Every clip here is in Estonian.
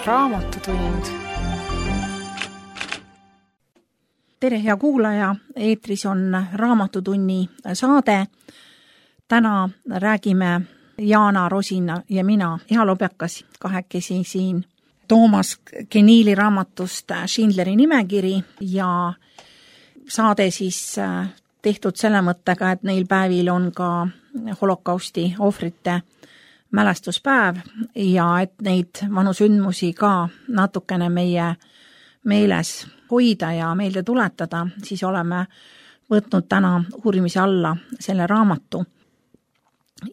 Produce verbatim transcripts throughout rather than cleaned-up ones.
Raamatutund. Tere, hea kuulaja, eetris on Raamatutunni saade. Täna räägime Jaana Rosina ja mina, Iha Lobjakas, kahekesi siin Toomas Geniili raamatust Schindleri nimekiri ja saade siis tehtud selle mõttega, et neil päevil on ka holokausti ohvrite mälestuspäev ja et neid vanu sündmusi ka natukene meie meeles hoida ja meelde tuletada, siis oleme võtnud täna uurimise alla selle raamatu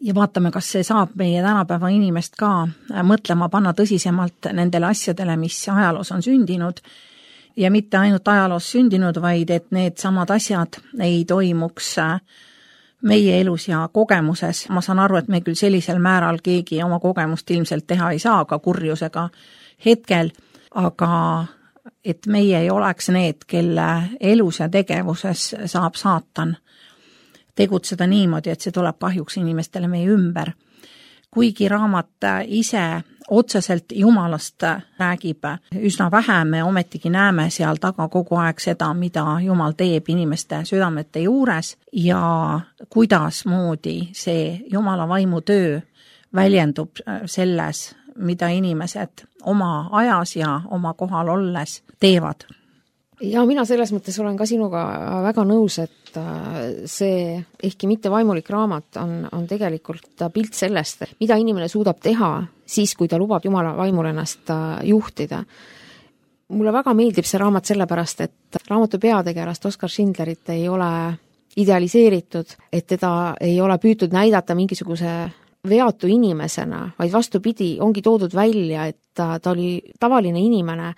ja vaatame, kas see saab meie tänapäeva inimest ka mõtlema panna tõsisemalt nendele asjadele, mis ajaloos on sündinud ja mitte ainult ajaloos sündinud, vaid et need samad asjad ei toimuks meie elus ja kogemuses. Ma saan aru, et me küll sellisel määral keegi oma kogemust ilmselt teha ei saa ka kurjusega hetkel, aga et meie ei oleks need, kelle elus ja tegevuses saab saatan tegutseda niimoodi, et see tuleb kahjuks inimestele meie ümber. Kuigi raamat ise otseselt Jumalast räägib üsna vähe, me ometigi näeme seal taga kogu aeg seda, mida Jumal teeb inimeste südamete juures ja kuidas moodi see Jumala vaimu töö väljendub selles, mida inimesed oma ajas ja oma kohal olles teevad. Ja mina selles mõttes olen ka sinuga väga nõus, et see ehkki mitte vaimulik raamat on, on tegelikult pilt sellest, mida inimene suudab teha siis, kui ta lubab Jumala vaimul ennast juhtida. Mulle väga meeldib see raamat sellepärast, et raamatu peategelast Oskar Schindlerit ei ole idealiseeritud, et teda ei ole püütud näidata mingisuguse veatu inimesena, vaid vastupidi, ongi toodud välja, et ta, ta oli tavaline inimene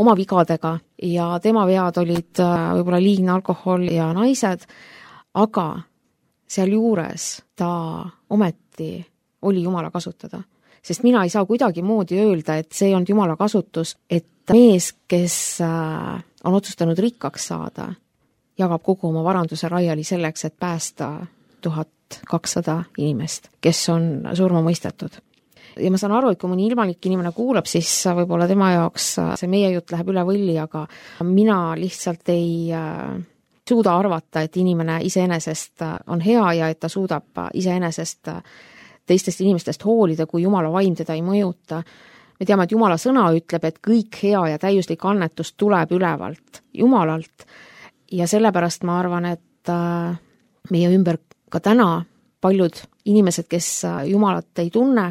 oma vigadega ja tema vead olid võib-olla liigne alkohol ja naised, aga seal juures ta ometi oli Jumala kasutada. Sest mina ei saa kuidagi moodi öelda, et see on Jumala kasutus, et mees, kes on otsustanud rikkaks saada, jagab kogu oma varanduse raiali selleks, et päästa tuhat kakssada inimest, kes on surma mõistetud. Ja ma saan aru, et kui mõni ilmalik inimene kuulab, siis võib-olla tema jaoks see meie jutt läheb üle võlli, aga mina lihtsalt ei suuda arvata, et inimene iseenesest on hea ja et ta suudab iseenesest teistest inimestest hoolida, kui Jumala vaim teda ei mõjuta. Me teame, et Jumala sõna ütleb, et kõik hea ja täiuslik annetus tuleb ülevalt Jumalalt ja sellepärast ma arvan, et meie ümber ka täna paljud inimesed, kes Jumalat ei tunne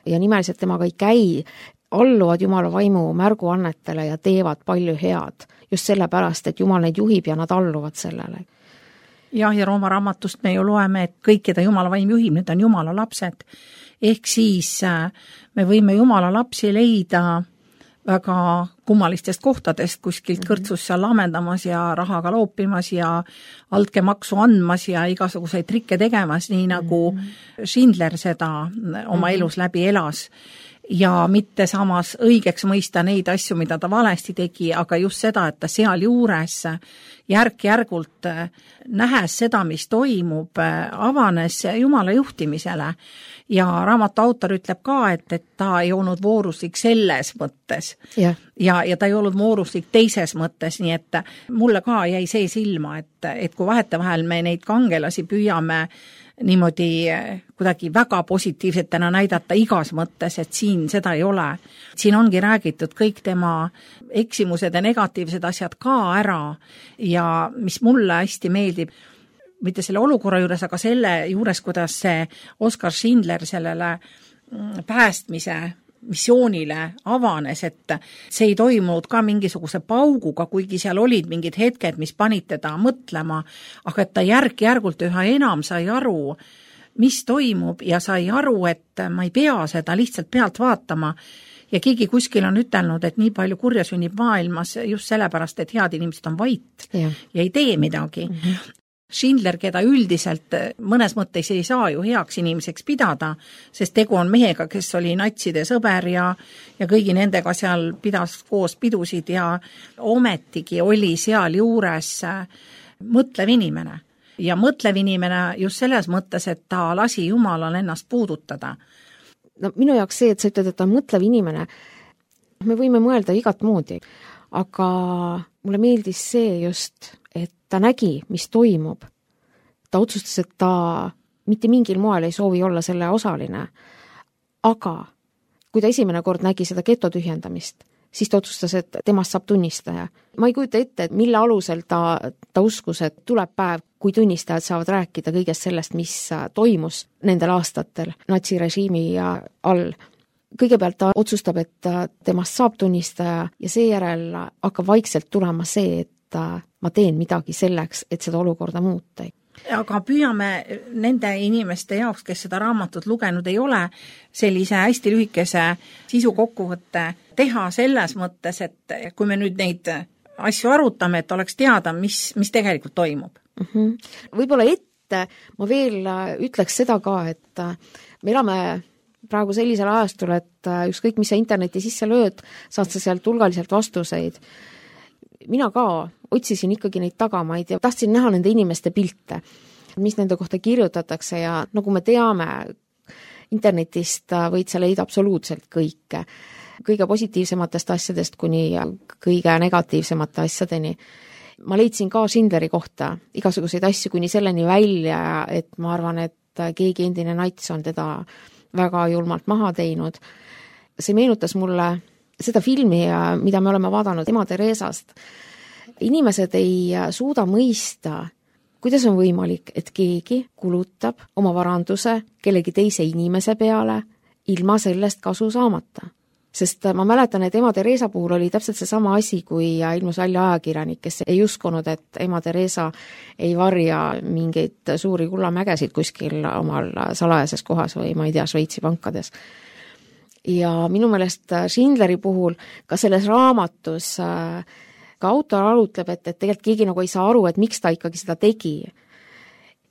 ja nimeliselt temaga ei käi, alluvad Jumala vaimu märguannetele ja teevad palju head. Just sellepärast, et Jumal neid juhib ja nad alluvad sellele. Jah, ja Rooma raamatust me ju loeme, et kõik, keda Jumala vaim juhib, need on Jumala lapsed. Ehk siis me võime Jumala lapsi leida väga kummalistest kohtadest, kuskilt kõrtsus seal lamendamas ja rahaga loopimas ja altkemaksu andmas ja igasuguseid trikke tegemas, nii nagu Schindler seda oma elus läbi elas. Ja mitte samas õigeks mõista neid asju, mida ta valesti tegi, aga just seda, et ta seal juures järk-järgult nähes seda, mis toimub, avanes Jumala juhtimisele. Ja raamatu autor ütleb ka, et, et ta ei olnud vooruslik selles mõttes yeah. ja, ja ta ei olnud vooruslik teises mõttes, nii et mulle ka jäi see silma, et, et kui vahetevahel me neid kangelasi püüame niimoodi kuidagi väga positiivsetena näidata igas mõttes, et siin seda ei ole. Siin ongi räägitud kõik tema eksimused ja negatiivsed asjad ka ära ja mis mulle hästi meeldib, mitte selle olukorra juures, aga selle juures, kuidas see Oskar Schindler sellele päästmise missioonile avanes, et see ei toimunud ka mingisuguse pauguga, kuigi seal olid mingid hetked, mis panid teda mõtlema, aga et ta järk-järgult üha enam sai aru, mis toimub ja sai aru, et ma ei pea seda lihtsalt pealt vaatama. Ja keegi kuskil on ütelnud, et nii palju kurja sünnib maailmas just sellepärast, et head inimesed on vait ja, ja ei tee midagi. Mm-hmm. Schindler, keda üldiselt mõnes mõttes ei saa ju heaks inimeseks pidada, sest tegu on mehega, kes oli natside sõber ja, ja kõigi nendega seal pidas koos pidusid ja ometigi oli seal juures mõtlev inimene. Ja mõtlev inimene just selles mõttes, et ta lasi Jumalal ennast puudutada. No minu jaoks see, et sa ütled, et ta on mõtlev inimene, me võime mõelda igat moodi, aga mulle meeldis see just, et ta nägi, mis toimub. Ta otsustas, et ta mitte mingil moel ei soovi olla selle osaline. Aga kui ta esimene kord nägi seda geto tühjendamist, siis ta otsustas, et temast saab tunnistaja. Ma ei kujuta ette, et mille alusel ta, ta uskus, et tuleb päev, kui tunnistajad saavad rääkida kõigest sellest, mis toimus nendel aastatel natsirežiimi all. Kõigepealt ta otsustab, et temast saab tunnistaja ja seejärel hakkab vaikselt tulema see, et ma teen midagi selleks, et seda olukorda muuta. Aga püüame nende inimeste jaoks, kes seda raamatut lugenud ei ole, sellise hästi lühikese sisu kokkuvõtte teha selles mõttes, et kui me nüüd neid asju arutame, et oleks teada, mis, mis tegelikult toimub. Mm-hmm. Võib-olla ette ma veel ütleks seda ka, et me elame praegu sellisel ajastul, et ükskõik, mis sa interneti sisse lööd, saad sa sealt hulgaliselt vastuseid. Mina ka otsisin ikkagi neid tagamaid ja tahtsin näha nende inimeste pilte, mis nende kohta kirjutatakse ja nagu me teame, internetist võid sa leida absoluutselt kõike. Kõige positiivsematest asjadest kuni kõige negatiivsemate asjadeni. Ma leidsin ka Schindleri kohta igasuguseid asju kuni selleni välja, et ma arvan, et keegi endine nats on teda väga julmalt maha teinud. See meenutas mulle seda filmi, mida me oleme vaadanud ema Teresast. Inimesed ei suuda mõista, kuidas on võimalik, et keegi kulutab oma varanduse kellegi teise inimese peale ilma sellest kasu saamata. Sest ma mäletan, et ema Teresa puhul oli täpselt see sama asi, kui ilmus välja ajakirjanik, kes ei uskunud, et ema Teresa ei varja mingeid suuri kullamägesid kuskil omal salajases kohas või ma ei tea, Šveitsi pankades. Ja minu meelest Schindleri puhul ka selles raamatus ka autor arutleb, et, et tegelikult keegi nagu ei saa aru, et miks ta ikkagi seda tegi.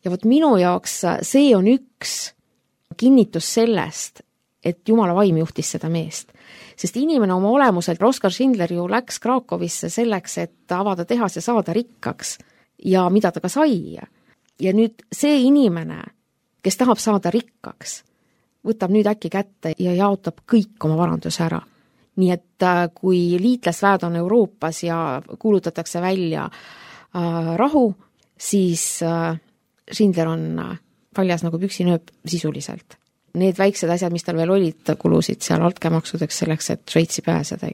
Ja võt minu jaoks see on üks kinnitus sellest, et Jumala vaim juhtis seda meest. Sest inimene oma olemuselt, Oskar Schindler ju läks Krakowisse selleks, et avada tehas ja saada rikkaks ja mida ta ka sai. Ja nüüd see inimene, kes tahab saada rikkaks, võtab nüüd äkki kätte ja jaotab kõik oma varanduse ära. Nii et kui liitlasväed on Euroopas ja kuulutatakse välja äh, rahu, siis äh, Schindler on paljas nagu püksinööp sisuliselt. Need väiksed asjad, mis tal veel olid, kulusid seal altkäemaksudeks selleks, et Šveitsi pääseda.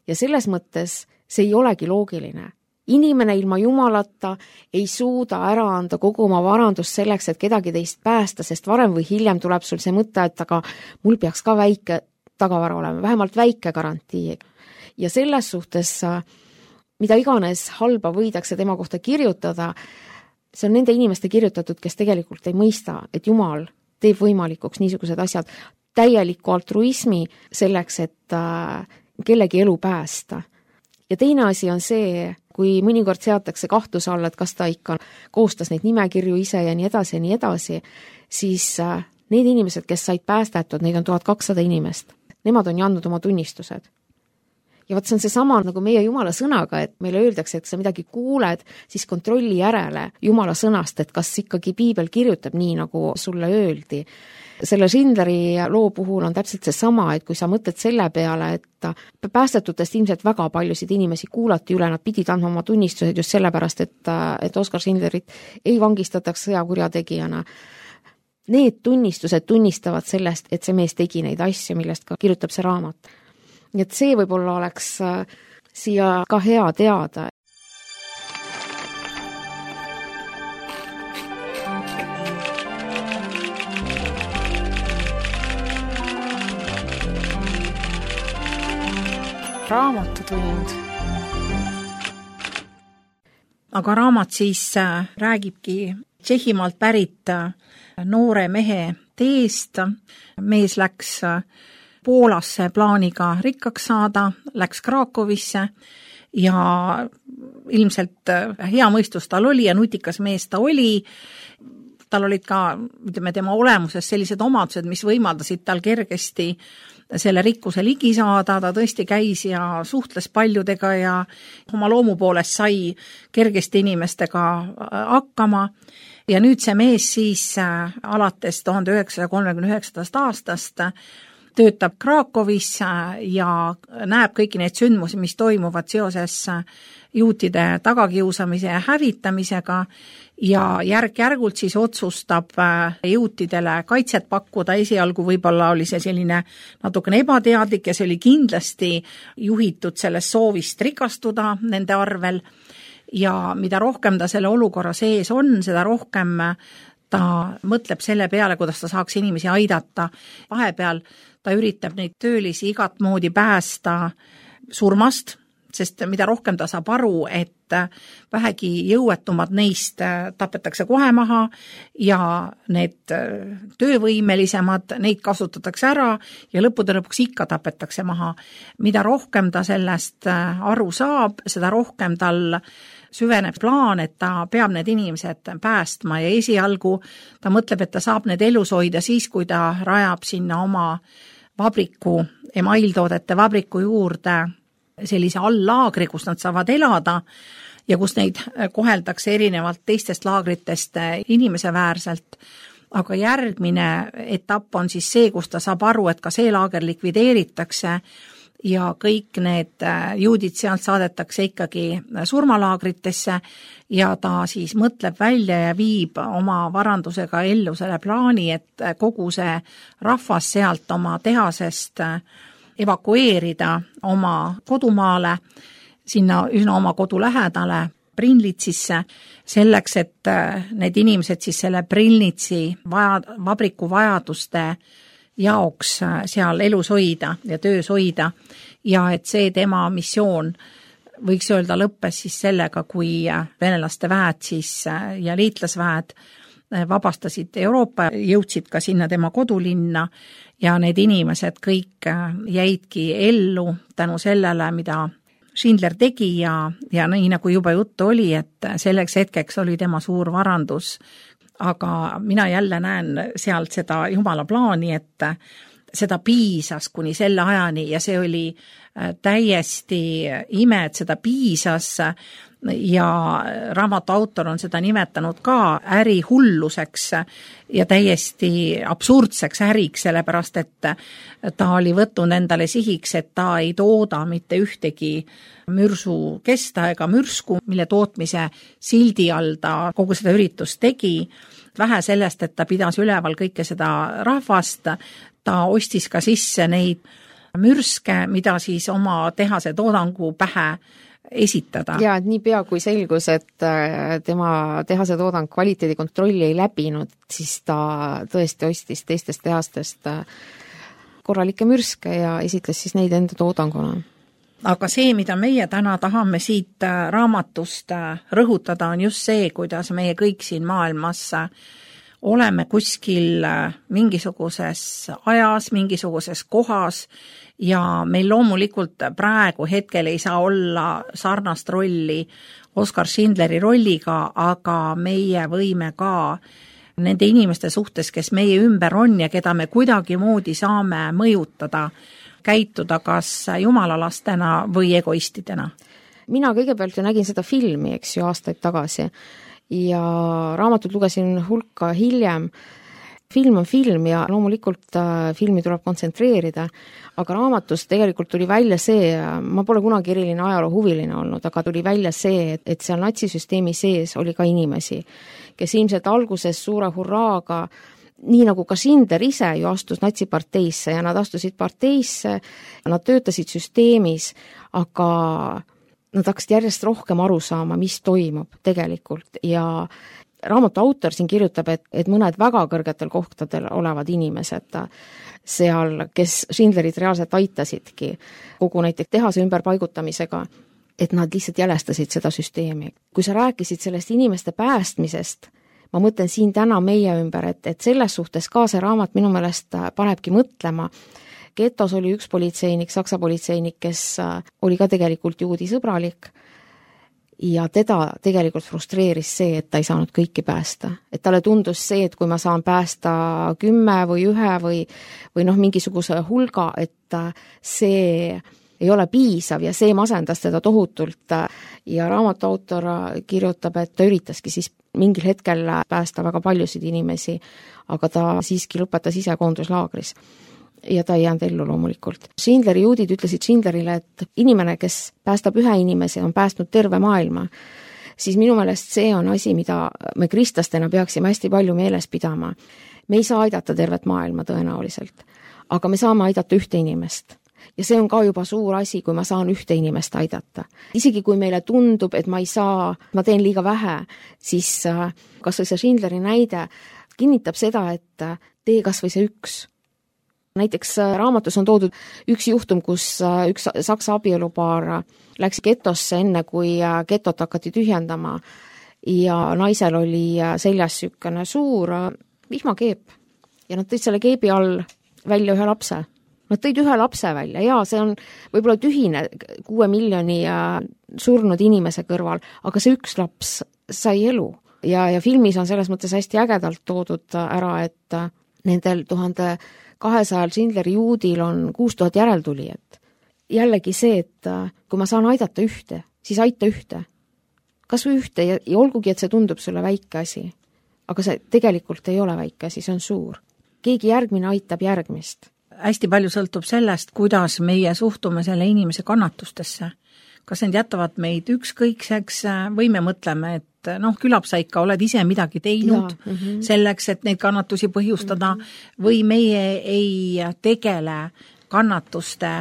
Ja selles mõttes see ei olegi loogiline. Inimene ilma Jumalata ei suuda ära anda kogu oma varandust selleks, et kedagi teist päästa, sest varem või hiljem tuleb sul see mõte, et aga mul peaks ka väike tagavara olema, vähemalt väike garantii. Ja selles suhtes, mida iganes halba võidakse tema kohta kirjutada, see on nende inimeste kirjutatud, kes tegelikult ei mõista, et Jumal teeb võimalikuks niisugused asjad, täieliku altruismi selleks, et kellegi elu päästa. Ja teine asi on see, kui mõnikord seatakse kahtluse alla, et kas ta ikka koostas neid nimekirju ise ja nii edasi ja nii edasi, siis need inimesed, kes said päästetud, neid on tuhat kakssada inimest. Nemad on andnud oma tunnistused. Ja võt see on see sama nagu meie Jumala sõnaga, et meile öeldakse, et sa midagi kuuled, siis kontrolli järele Jumala sõnast, et kas ikkagi piibel kirjutab nii, nagu sulle öeldi. Selle Schindleri loo puhul on täpselt see sama, et kui sa mõtled selle peale, et päästetutest ilmselt väga paljusid inimesi kuulati üle, nad pidid andma oma tunnistused just sellepärast, et, et Oskar Schindlerit ei vangistataks sõjakurjategijana. Need tunnistused tunnistavad sellest, et see mees tegi neid asju, millest ka kirjutab see raamat. Nii et see võib-olla oleks siia ka hea teada. Raamatutund. Aga raamat siis räägibki Tšehhimaalt pärit noore mehe teest. Mees läks Poolasse plaaniga rikkaks saada, läks Krakowisse ja ilmselt hea mõistus tal oli ja nutikas mees ta oli. Tal olid ka, ütleme, tema olemuses sellised omadused, mis võimaldasid tal kergesti selle rikkuse ligi saada, ta tõesti käis ja suhtles paljudega ja oma loomu poolest sai kergesti inimestega hakkama. Ja nüüd see mees siis alates tuhande üheksasaja kolmekümne üheksandast aastast töötab Krakowis ja näeb kõiki neid sündmusi, mis toimuvad seoses juutide tagakiusamise ja hävitamisega ja järk-järgult siis otsustab juutidele kaitset pakkuda. Esialgu võib-olla oli see selline natukene ebateadlik ja see oli kindlasti juhitud sellest soovist rikastuda nende arvel ja mida rohkem ta selle olukorra sees on, seda rohkem ta mõtleb selle peale, kuidas ta saaks inimesi aidata. Vahepeal ta üritab neid töölisi igat moodi päästa surmast, sest mida rohkem ta saab aru, et vähegi jõuetumad neist tapetakse kohe maha ja need töövõimelisemad, neid kasutatakse ära ja lõppude lõpuks ikka tapetakse maha. Mida rohkem ta sellest aru saab, seda rohkem tal süveneb plaan, et ta peab need inimesed päästma ja esialgu ta mõtleb, et ta saab need elus hoida siis, kui ta rajab sinna oma vabriku, emailtoodete vabriku juurde sellise all-laagri, kus nad saavad elada ja kus neid koheldakse erinevalt teistest laagritest inimeseväärselt. Aga järgmine etapp on siis see, kus ta saab aru, et ka see laager likvideeritakse ja kõik need juudid sealt saadetakse ikkagi surmalaagritesse ja ta siis mõtleb välja ja viib oma varandusega ellu selle plaani, et kogu see rahvas sealt oma tehasest evakueerida oma kodumaale, sinna üsna oma kodu lähedale Brinlitsisse, selleks, et need inimesed siis selle Brinlitsi vaja, vabriku vajaduste jaoks seal elus hoida ja töös hoida ja et see tema missioon võiks öelda lõppes siis sellega, kui venelaste väed siis ja liitlasväed vabastasid Euroopa, jõudsid ka sinna tema kodulinna ja need inimesed kõik jäidki ellu tänu sellele, mida Schindler tegi ja, ja nii nagu juba juttu oli, et selleks hetkeks oli tema suur varandus. Aga mina jälle näen sealt seda Jumala plaani, et seda piisas kuni selle ajani ja see oli täiesti ime, et seda piisas ja raamatu autor on seda nimetanud ka ärihulluseks ja täiesti absurdseks äriks, sellepärast et ta oli võtnud endale sihiks, et ta ei tooda mitte ühtegi mürsu kesta ega mürsku, mille tootmise sildi all ta kogu seda üritust tegi. Vähe sellest, et ta pidas üleval kõike seda rahvast, ta ostis ka sisse neid mürske, mida siis oma tehase toodangu pähe esitada. Ja, et nii pea kui selgus, et tema tehase toodang kvaliteedikontrolli ei läbinud, siis ta tõesti ostis teistest tehastest korralikke mürske ja esitles siis neid enda toodanguna. Aga see, mida meie täna tahame siit raamatust rõhutada, on just see, kuidas meie kõik siin maailmas oleme kuskil mingisuguses ajas, mingisuguses kohas ja meil loomulikult praegu hetkel ei saa olla sarnast rolli Oskar Schindleri rolliga, aga meie võime ka nende inimeste suhtes, kes meie ümber on ja keda me kuidagi moodi saame mõjutada, käituda kas jumalalastena või egoistidena. Mina kõigepealt ju nägin seda filmi, eks ju, aastaid tagasi ja raamatut lugesin hulka hiljem. Film on film ja loomulikult filmi tuleb kontsentreerida, aga raamatus tegelikult tuli välja see, ma pole kunagi eriline ajaloo huviline olnud, aga tuli välja see, et, et seal natsisüsteemi sees oli ka inimesi, kes ilmselt alguses suure hurraaga nii nagu ka Schindler ise ju astus natsiparteisse ja nad astusid parteisse, nad töötasid süsteemis, aga nad hakkasid järjest rohkem aru saama, mis toimub tegelikult ja raamatu autor siin kirjutab, et, et mõned väga kõrgetel kohtadel olevad inimesed seal, kes Schindlerit reaalselt aitasidki kogu näiteks tehase ümberpaigutamisega, et nad lihtsalt jälestasid seda süsteemi. Kui sa rääkisid sellest inimeste päästmisest, ma mõtlen siin täna meie ümber, et, et selles suhtes ka see raamat minu meelest panebki mõtlema. Getos oli üks politseinik, saksa politseinik, kes oli ka tegelikult juudi sõbralik ja teda tegelikult frustreeris see, et ta ei saanud kõiki päästa. Et talle tundus see, et kui ma saan päästa kümme või ühe või, või noh, mingisuguse hulga, et see ei ole piisav ja see masendas teda tohutult ja raamatu autor kirjutab, et ta üritaski siis mingil hetkel päästa väga paljusid inimesi, aga ta siiski lõpetas ise koonduslaagris. ja ta ei jäänud ellu loomulikult. Schindleri juudid ütlesid Schindlerile, et inimene, kes päästab ühe inimese, on päästnud terve maailma, siis minu meelest see on asi, mida me kristlastena peaksime hästi palju meeles pidama. Me ei saa aidata tervet maailma tõenäoliselt, aga me saame aidata ühte inimest. Ja see on ka juba suur asi, kui ma saan ühte inimest aidata. Isegi kui meile tundub, et ma ei saa, ma teen liiga vähe, siis kas või see Schindleri näide kinnitab seda, et tee kas või see üks. Näiteks raamatus on toodud üks juhtum, kus üks saksa abielupaar läks getosse enne, kui getot hakati tühjendama ja naisel oli seljas sükene suur vihmakeep ja nad tõid selle keebi all välja ühe lapse. Nad tõid ühe lapse välja ja see on võib-olla tühine kuue miljoni surnud inimese kõrval, aga see üks laps sai elu. Ja, ja filmis on selles mõttes hästi ägedalt toodud ära, et nendel tuhande kahesajal Schindleri juudil on kuus tuhat järeltulijat. Jällegi see, et kui ma saan aidata ühte, siis aita ühte. Kas või ühte ja, ja olgugi, et see tundub sulle väike asi, aga see tegelikult ei ole väike asi, see on suur. Keegi järgmine aitab järgmist. Hästi palju sõltub sellest, kuidas meie suhtume selle inimese kannatustesse. Kas need jätavad meid ükskõikseks või me mõtleme, et noh, külab sa ikka oled ise midagi teinud ja, mm-hmm. selleks, et neid kannatusi põhjustada mm-hmm. või meie ei tegele kannatuste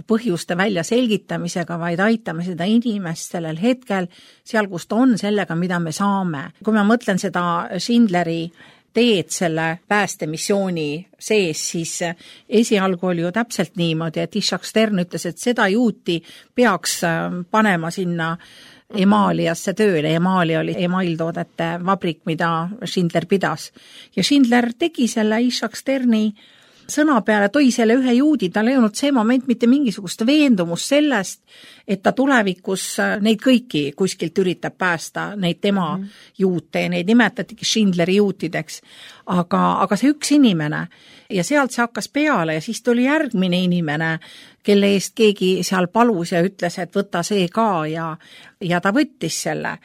põhjuste välja selgitamisega, vaid aitame seda inimest sellel hetkel, seal kus ta on sellega, mida me saame. Kui ma mõtlen seda Schindleri teed selle päästemissiooni sees, siis esialgu oli ju täpselt niimoodi, et Ishak Stern ütles, et seda juuti peaks panema sinna Emaaliasse tööle. Emaali oli emailtoodete vabrik, mida Schindler pidas. Ja Schindler tegi selle Ishak Sterni sõna peale, toi selle ühe juudi, tal ei olnud see moment mitte mingisugust veendumust sellest, et ta tulevikus neid kõiki kuskilt üritab päästa, neid tema mm. juute, neid nimetatigi Schindleri juutideks, aga, aga see üks inimene ja sealt see hakkas peale ja siis tuli järgmine inimene, kelle eest keegi seal palus ja ütles, et võta see ka ja, ja ta võttis selle.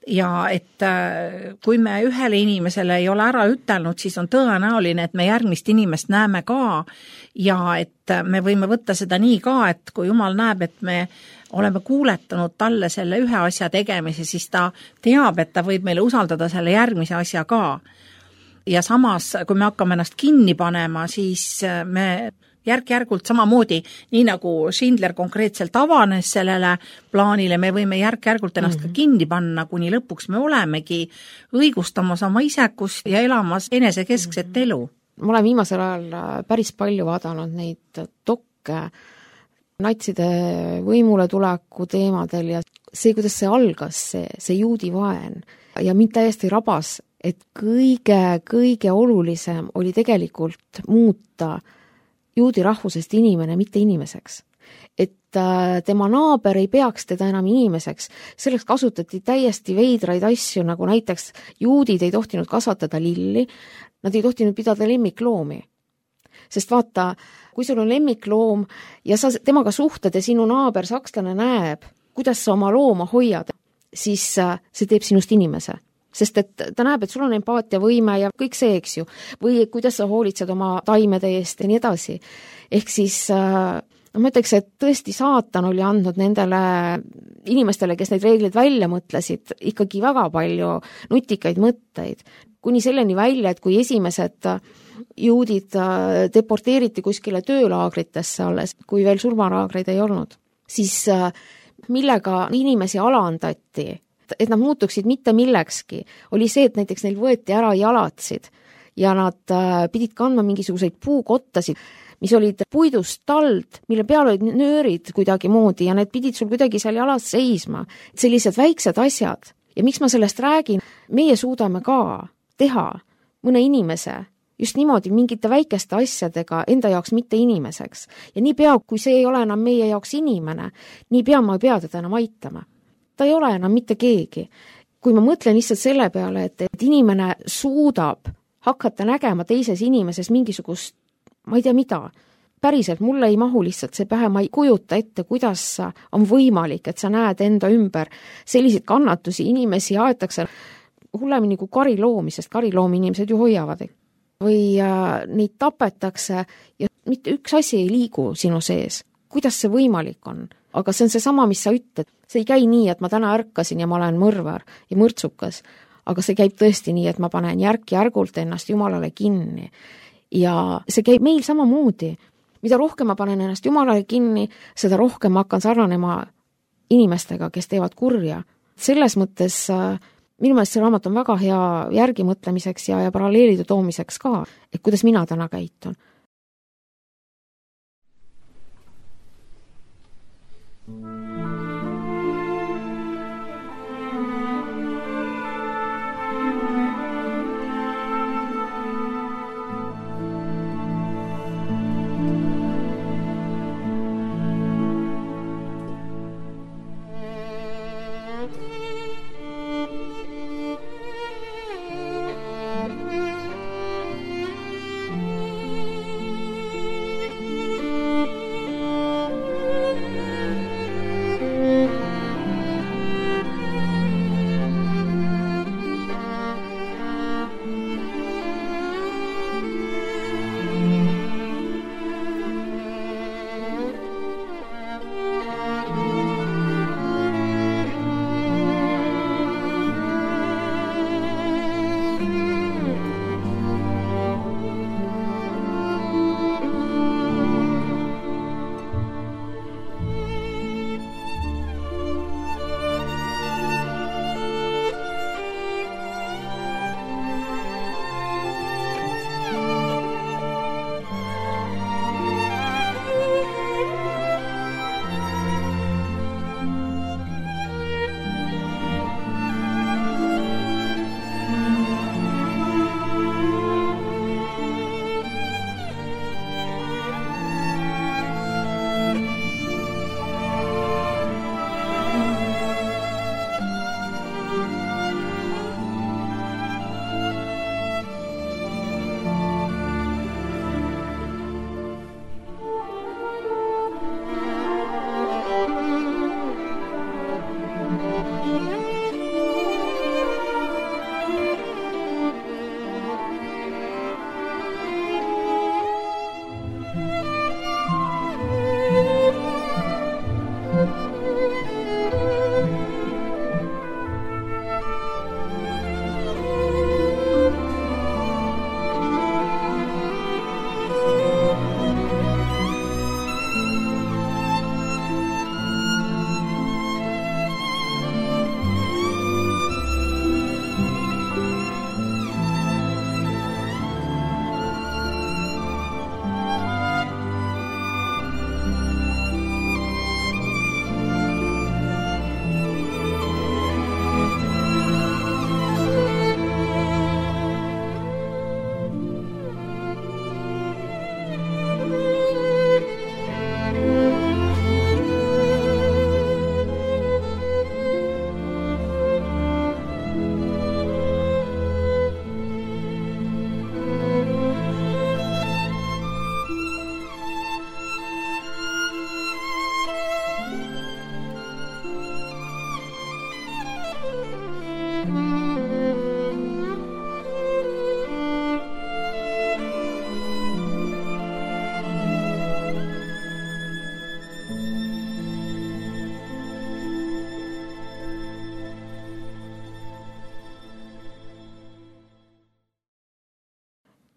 Ja et kui me ühele inimesele ei ole ära ütelnud, siis on tõenäoline, et me järgmist inimest näeme ka ja et me võime võtta seda nii ka, et kui Jumal näeb, et me oleme kuuletanud talle selle ühe asja tegemise, siis ta teab, et ta võib meile usaldada selle järgmise asja ka. Ja samas, kui me hakkame ennast kinni panema, siis me järk-järgult samamoodi, nii nagu Schindler konkreetselt avanes sellele plaanile, me võime järk-järgult ennast mm-hmm. ka kinni panna, kuni lõpuks me olemegi õigustamas oma isekust ja elamas enesekeskset mm-hmm. elu. Ma olen viimasel ajal päris palju vaadanud neid dokke natside võimule tuleku teemadel ja see, kuidas see algas, see, see juudi vaen ja mind täiesti rabas, et kõige, kõige olulisem oli tegelikult muuta juudi rahvusest inimene, mitte inimeseks. Et tema naaber ei peaks teda enam inimeseks. Selleks kasutati täiesti veidraid asju, nagu näiteks juudid ei tohtinud kasvatada lilli, nad ei tohtinud pidada lemmikloomi. Sest vaata, kui sul on lemmikloom ja sa temaga suhted ja sinu naaber sakslane näeb, kuidas sa oma looma hoiad, siis see teeb sinust inimese. Sest et ta näeb, et sul on empaatiavõime ja kõik see, eks ju, või kuidas sa hoolitsed oma taimede eest ja nii edasi. Ehk siis, no ma ütleks, et tõesti saatan oli andnud nendele inimestele, kes neid reeglid välja mõtlesid, ikkagi väga palju nutikaid mõtteid. Kuni selleni välja, et kui esimesed juudid deporteeriti kuskile töölaagritesse alles, kui veel surmalaagreid ei olnud, siis millega inimesi alandati, et nad muutuksid mitte millekski, oli see, et näiteks neil võeti ära jalatsid ja nad pidid kandma mingisuguseid puukottasid, mis olid puidust tald, mille peal olid nöörid kuidagi moodi ja need pidid sul kuidagi seal jalas seisma. Sellised väiksed asjad. Ja miks ma sellest räägin? Meie suudame ka teha mõne inimese just niimoodi mingite väikeste asjadega enda jaoks mitte inimeseks. Ja nii pea, kui see ei ole enam meie jaoks inimene, nii pea ma ei pea teda enam aitama. Ta ei ole enam mitte keegi. Kui ma mõtlen lihtsalt selle peale, et, et inimene suudab hakata nägema teises inimeses mingisugust, ma ei tea mida, päriselt mulle ei mahu lihtsalt see pähe, ma ei kujuta ette, kuidas on võimalik, et sa näed enda ümber selliseid kannatusi, inimesi aetakse hullemini kui kariloomi, sest kariloomi inimesed ju hoiavad. Või äh, neid tapetakse ja mitte üks asi ei liigu sinu sees. Kuidas see võimalik on? Aga see on see sama, mis sa ütled. See ei käi nii, et ma täna ärkasin ja ma olen mõrvar ja mõrtsukas, aga see käib tõesti nii, et ma panen järk-järgult ennast Jumalale kinni. Ja see käib meil samamoodi. Mida rohkem ma panen ennast Jumalale kinni, seda rohkem ma hakkan sarnanema inimestega, kes teevad kurja. Selles mõttes minu meelest see raamat on väga hea järgi mõtlemiseks ja, ja paralleelide toomiseks ka, et kuidas mina täna käitun.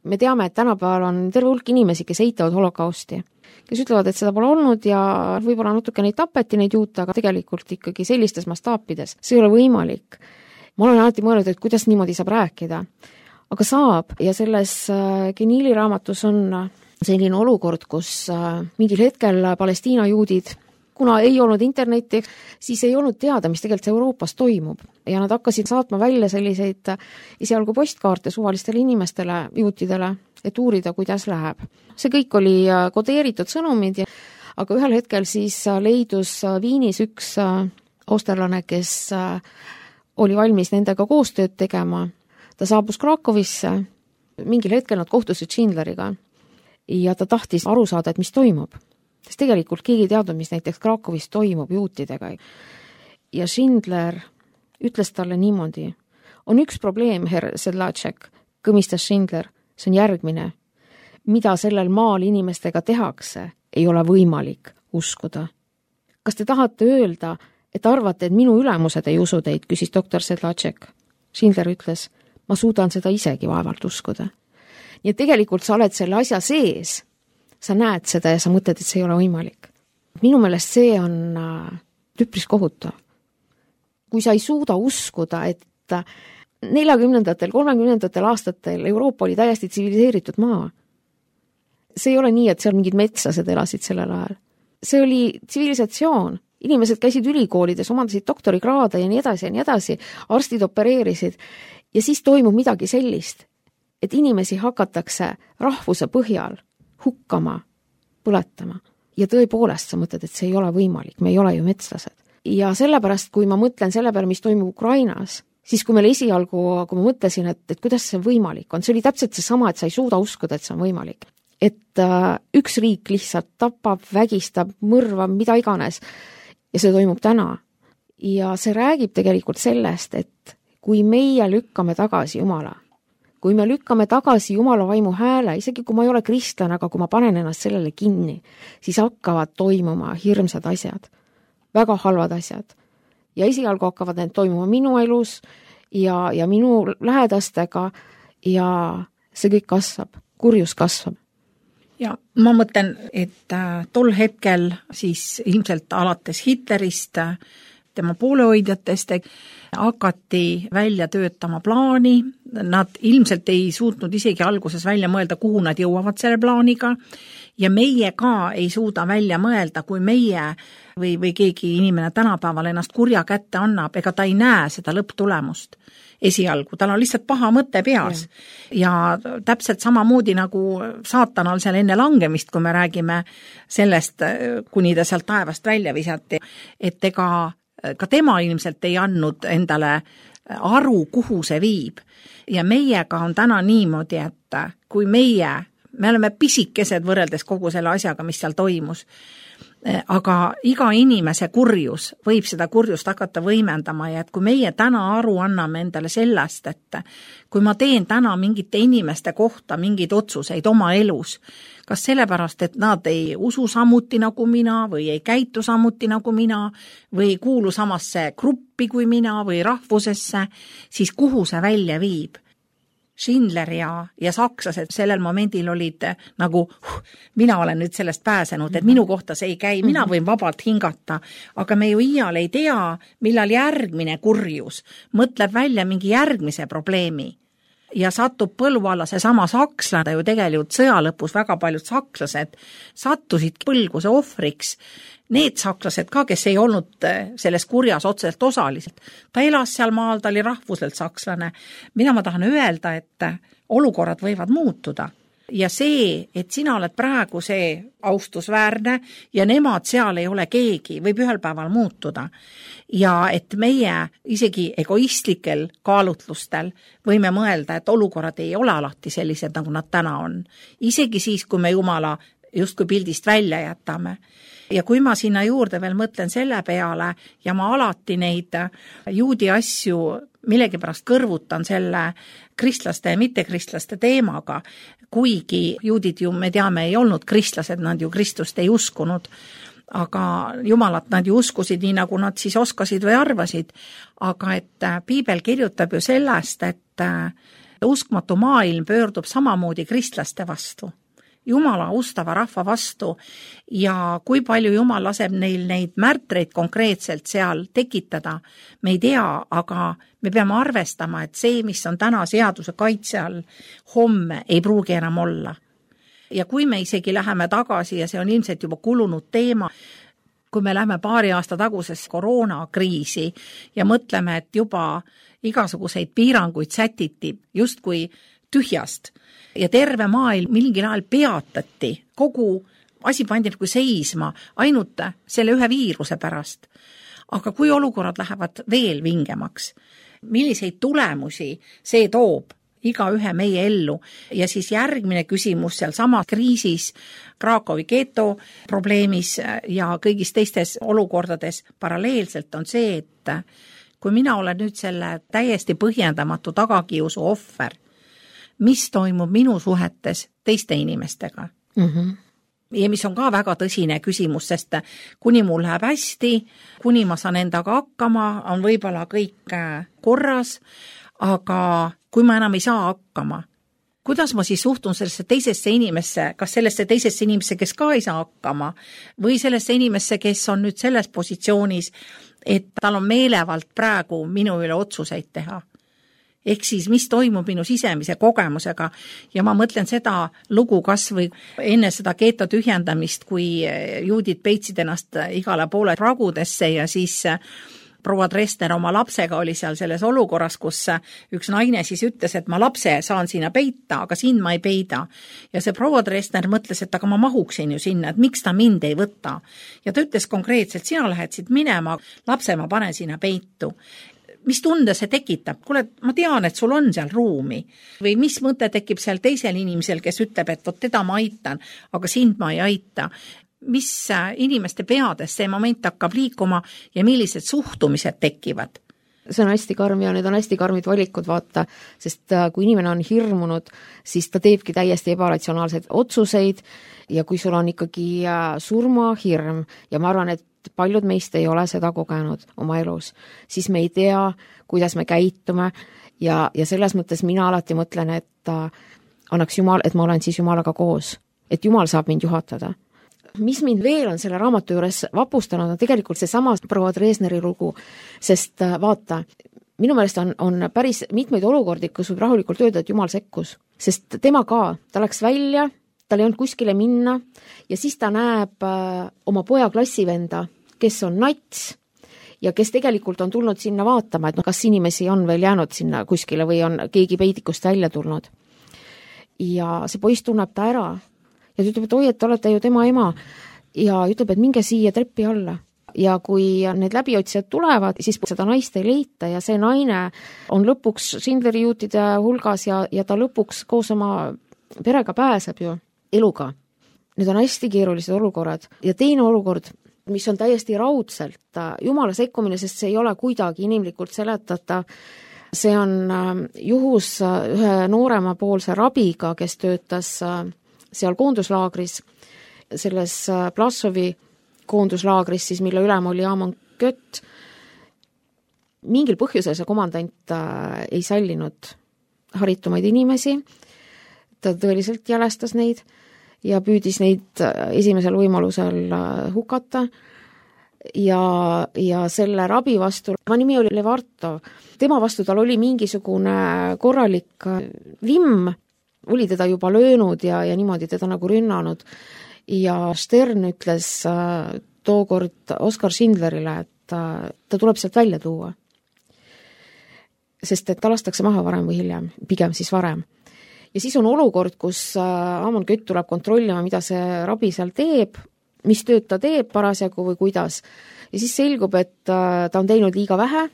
Me teame, et tänapäeval on terve hulk inimesi, kes eitavad holokausti, kes ütlevad, et seda pole olnud ja võib-olla natuke neid tapeti neid juute, aga tegelikult ikkagi sellistes mastaapides. See ei ole võimalik. Ma olen alati mõelnud, et kuidas niimoodi saab rääkida. Aga saab ja selles Geniili raamatus on selline olukord, kus mingil hetkel Palestiina juudid, kuna ei olnud internetti, siis ei olnud teada, mis tegelikult Euroopas toimub. Ja nad hakkasid saatma välja selliseid esialgu postkaarte suvalistele inimestele, juutidele, et uurida, kuidas läheb. See kõik oli kodeeritud sõnumid, aga ühel hetkel siis leidus Viinis üks austerlane, kes oli valmis nendega koostööd tegema. Ta saabus Krakowisse, mingil hetkel nad kohtusid Schindleriga ja ta tahtis aru saada, et mis toimub. Sest tegelikult keegi teadnud, mis näiteks Krakowis toimub juutidega. Ja Schindler ütles talle niimoodi, on üks probleem, herr Sedlacek, kõmistas Schindler, see on järgmine. mida sellel maal inimestega tehakse, ei ole võimalik uskuda. Kas te tahate öelda, et arvate, et minu ülemused ei usu teid, küsis doktor Sedlacek. Schindler ütles, ma suudan seda isegi vaevalt uskuda. Nii et tegelikult sa oled selle asja sees, sa näed seda ja sa mõtled, et see ei ole võimalik. Minu meelest see on üpris kohutav. Kui sa ei suuda uskuda, et neljakümnendatel, kolmekümnendatel aastatel Euroopa oli täiesti tsiviliseeritud maa. See ei ole nii, et seal mingid metslased elasid sellel ajal. See oli tsivilisatsioon. Inimesed käisid ülikoolides, omandasid doktorikraade ja nii edasi ja nii edasi, arstid opereerisid ja siis toimub midagi sellist, et inimesi hakatakse rahvuse põhjal hukkama, põletama ja tõepoolest sa mõtled, et see ei ole võimalik, me ei ole ju metslased. Ja sellepärast, kui ma mõtlen selle peale, mis toimub Ukrainas, siis kui meil esialgu, kui ma mõtlesin, et, et kuidas see võimalik on, see oli täpselt see sama, et sa ei suuda uskuda, et see on võimalik. Et äh, üks riik lihtsalt tapab, vägistab, mõrvab, mida iganes. Ja see toimub täna. Ja see räägib tegelikult sellest, et kui meie lükkame tagasi Jumala, kui me lükkame tagasi Jumala vaimu hääle, isegi kui ma ei ole kristlane, aga kui ma panen ennast sellele kinni, siis hakkavad toimuma hirmsad asjad, väga halvad asjad. Ja esialgu hakkavad need toimuma minu elus ja, ja minu lähedastega ja see kõik kasvab, kurjus kasvab. Ja ma mõtlen, et tol hetkel siis ilmselt alates Hitlerist, tema poolehoidjatest hakati välja töötama plaani, nad ilmselt ei suutnud isegi alguses välja mõelda, kuhu nad jõuavad selle plaaniga ja meie ka ei suuda välja mõelda, kui meie või, või keegi inimene tänapäeval ennast kurja kätte annab, ega ta ei näe seda lõpptulemust esialgu, tal on lihtsalt paha mõte peas ja, ja täpselt samamoodi nagu saatanal seal enne langemist, kui me räägime sellest, kuni ta sealt taevast välja visati, et ega ka tema ilmselt ei andnud endale aru, kuhu see viib. Ja meiega on täna niimoodi, et kui meie, me oleme pisikesed võrreldes kogu selle asjaga, mis seal toimus, aga iga inimese kurjus võib seda kurjust hakata võimendama ja et kui meie täna aru anname endale sellest, et kui ma teen täna mingite inimeste kohta mingeid otsuseid oma elus, kas sellepärast, et nad ei usu samuti nagu mina või ei käitu samuti nagu mina või ei kuulu samasse gruppi kui mina või rahvusesse, siis kuhu see välja viib? Schindler ja, ja sakslased sellel momendil olid nagu, huh, mina olen nüüd sellest pääsenud, et minu kohta see ei käi, mina võin vabalt hingata, aga me ju iial ei tea, millal järgmine kurjus mõtleb välja mingi järgmise probleemi ja satub põlvu alla see sama sakslane, ju tegelikult sõja lõpus väga paljud sakslased sattusid põlguse ohvriks. Need sakslased ka, kes ei olnud selles kurjas otseselt osaliselt. Ta elas seal maal, ta oli rahvuselt sakslane. Mina ma tahan öelda, et olukorrad võivad muutuda. Ja see, et sina oled praegu see austusväärne ja nemad seal ei ole keegi, võib ühel päeval muutuda. Ja et meie isegi egoistlikel kaalutlustel võime mõelda, et olukorrad ei ole alati sellised, nagu nad täna on. Isegi siis, kui me Jumala justkui pildist välja jätame. Ja kui ma sinna juurde veel mõtlen selle peale ja ma alati neid juudi asju millegipärast kõrvutan selle kristlaste ja mittekristlaste teemaga, kuigi juudid ju, me teame, ei olnud kristlased, nad ju Kristust ei uskunud, aga Jumalat nad ju uskusid nii, nagu nad siis oskasid või arvasid, aga et Piibel kirjutab ju sellest, et uskmatu maailm pöördub samamoodi kristlaste vastu. Jumala ustava rahva vastu ja kui palju Jumal laseb neil neid märtreid konkreetselt seal tekitada, me ei tea, aga me peame arvestama, et see, mis on täna seaduse kaitse all, homme ei pruugi enam olla. Ja kui me isegi läheme tagasi ja see on ilmselt juba kulunud teema, kui me läheme paari aasta tagusesse koroonakriisi ja mõtleme, et juba igasuguseid piiranguid sätiti justkui tühjast ja terve maailm mingil ajal peatati, kogu asi pandi nagu seisma ainult selle ühe viiruse pärast. Aga kui olukorrad lähevad veel vingemaks, milliseid tulemusi see toob iga ühe meie ellu ja siis järgmine küsimus seal sama kriisis, Krakowi geto probleemis ja kõigis teistes olukordades paralleelselt on see, et kui mina olen nüüd selle täiesti põhjendamatu tagakiusu ohver, mis toimub minu suhetes teiste inimestega. Mm-hmm. Ja mis on ka väga tõsine küsimus, sest kuni mul läheb hästi, kuni ma saan endaga hakkama, on võib-olla kõik korras, aga kui ma enam ei saa hakkama, kuidas ma siis suhtun sellesse teisesse inimesse, kas sellesse teisesse inimesse, kes ka ei saa hakkama, või sellesse inimesse, kes on nüüd selles positsioonis, et tal on meelevalt praegu minu üle otsuseid teha. Ehk siis, mis toimub minu sisemise kogemusega ja ma mõtlen seda lugu kas või enne seda keeto tühjendamist, kui juudid peitsid ennast igale poole ragudesse ja siis proua Dresner oma lapsega oli seal selles olukorras, kus üks naine siis ütles, et ma lapse saan sinna peita, aga sind ma ei peida. Ja see proua Dresner mõtles, et aga ma mahuksin ju sinna, et miks ta mind ei võta. Ja ta ütles konkreetselt, sina lähed siit minema, lapse ma panen sinna peitu. Mis tunde see tekitab? Kuule, ma tean, et sul on seal ruumi. Või mis mõte tekib seal teisel inimesel, kes ütleb, et vot teda ma aitan, aga sind ma ei aita. Mis inimeste peades see moment hakkab liikuma ja millised suhtumised tekivad? See on hästi karm ja need on hästi karmid valikud, vaata, sest kui inimene on hirmunud, siis ta teebki täiesti ebaratsionaalseid otsuseid ja kui sul on ikkagi surmahirm ja ma arvan, et paljud meist ei ole seda kogenud oma elus, siis me ei tea, kuidas me käitume ja, ja selles mõttes mina alati mõtlen, et annaks Jumal, et ma olen siis Jumalaga koos, et Jumal saab mind juhatada. Mis mind veel on selle raamatu juures vapustanud, on tegelikult see sama proua Dresneri lugu, sest vaata, minu meelest on, on päris mitmeid olukordi, kus võib rahulikult öelda, et Jumal sekkus, sest tema ka, ta läks välja, tal ei olnud kuskile minna ja siis ta näeb oma poja klassivenda, kes on nats ja kes tegelikult on tulnud sinna vaatama, et no, kas inimesi on veel jäänud sinna kuskile või on keegi peidikust välja tulnud. Ja see poiss tunneb ta ära ja ta ütleb, et oi, et te olete ju tema ema ja ütleb, et minge siia treppi alla. Ja kui need läbiotsijad tulevad, siis seda naist ei leita ja see naine on lõpuks Schindleri juutide hulgas ja, ja ta lõpuks koos oma perega pääseb ju eluga. Need on hästi keerulised olukorrad ja teine olukord, mis on täiesti raudselt Jumala sekkumine, sest see ei ole kuidagi inimlikult seletatav. See on juhus ühe noorema poolse rabiga, kes töötas seal koonduslaagris, selles Plassovi koonduslaagris, siis mille ülem oli Amon Kött. Mingil põhjusel see komandant ei sallinud haritumaid inimesi, ta tõeliselt jälestas neid ja püüdis neid esimesel võimalusel hukata ja, ja selle rabi vastu, ma nimi oli Levartov, tema vastu tal oli mingisugune korralik vimm, oli teda juba löönud ja, ja niimoodi teda nagu rünnanud ja Stern ütles äh, tookord Oskar Schindlerile, et äh, ta tuleb sealt välja tuua. Sest et ta lastakse maha varem või hiljem, pigem siis varem. Ja siis on olukord, kus äh, Amon Kött tuleb kontrollima, mida see rabi seal teeb, mis tööd ta teeb parasjagu või kuidas. Ja siis selgub, et äh, ta on teinud liiga vähe.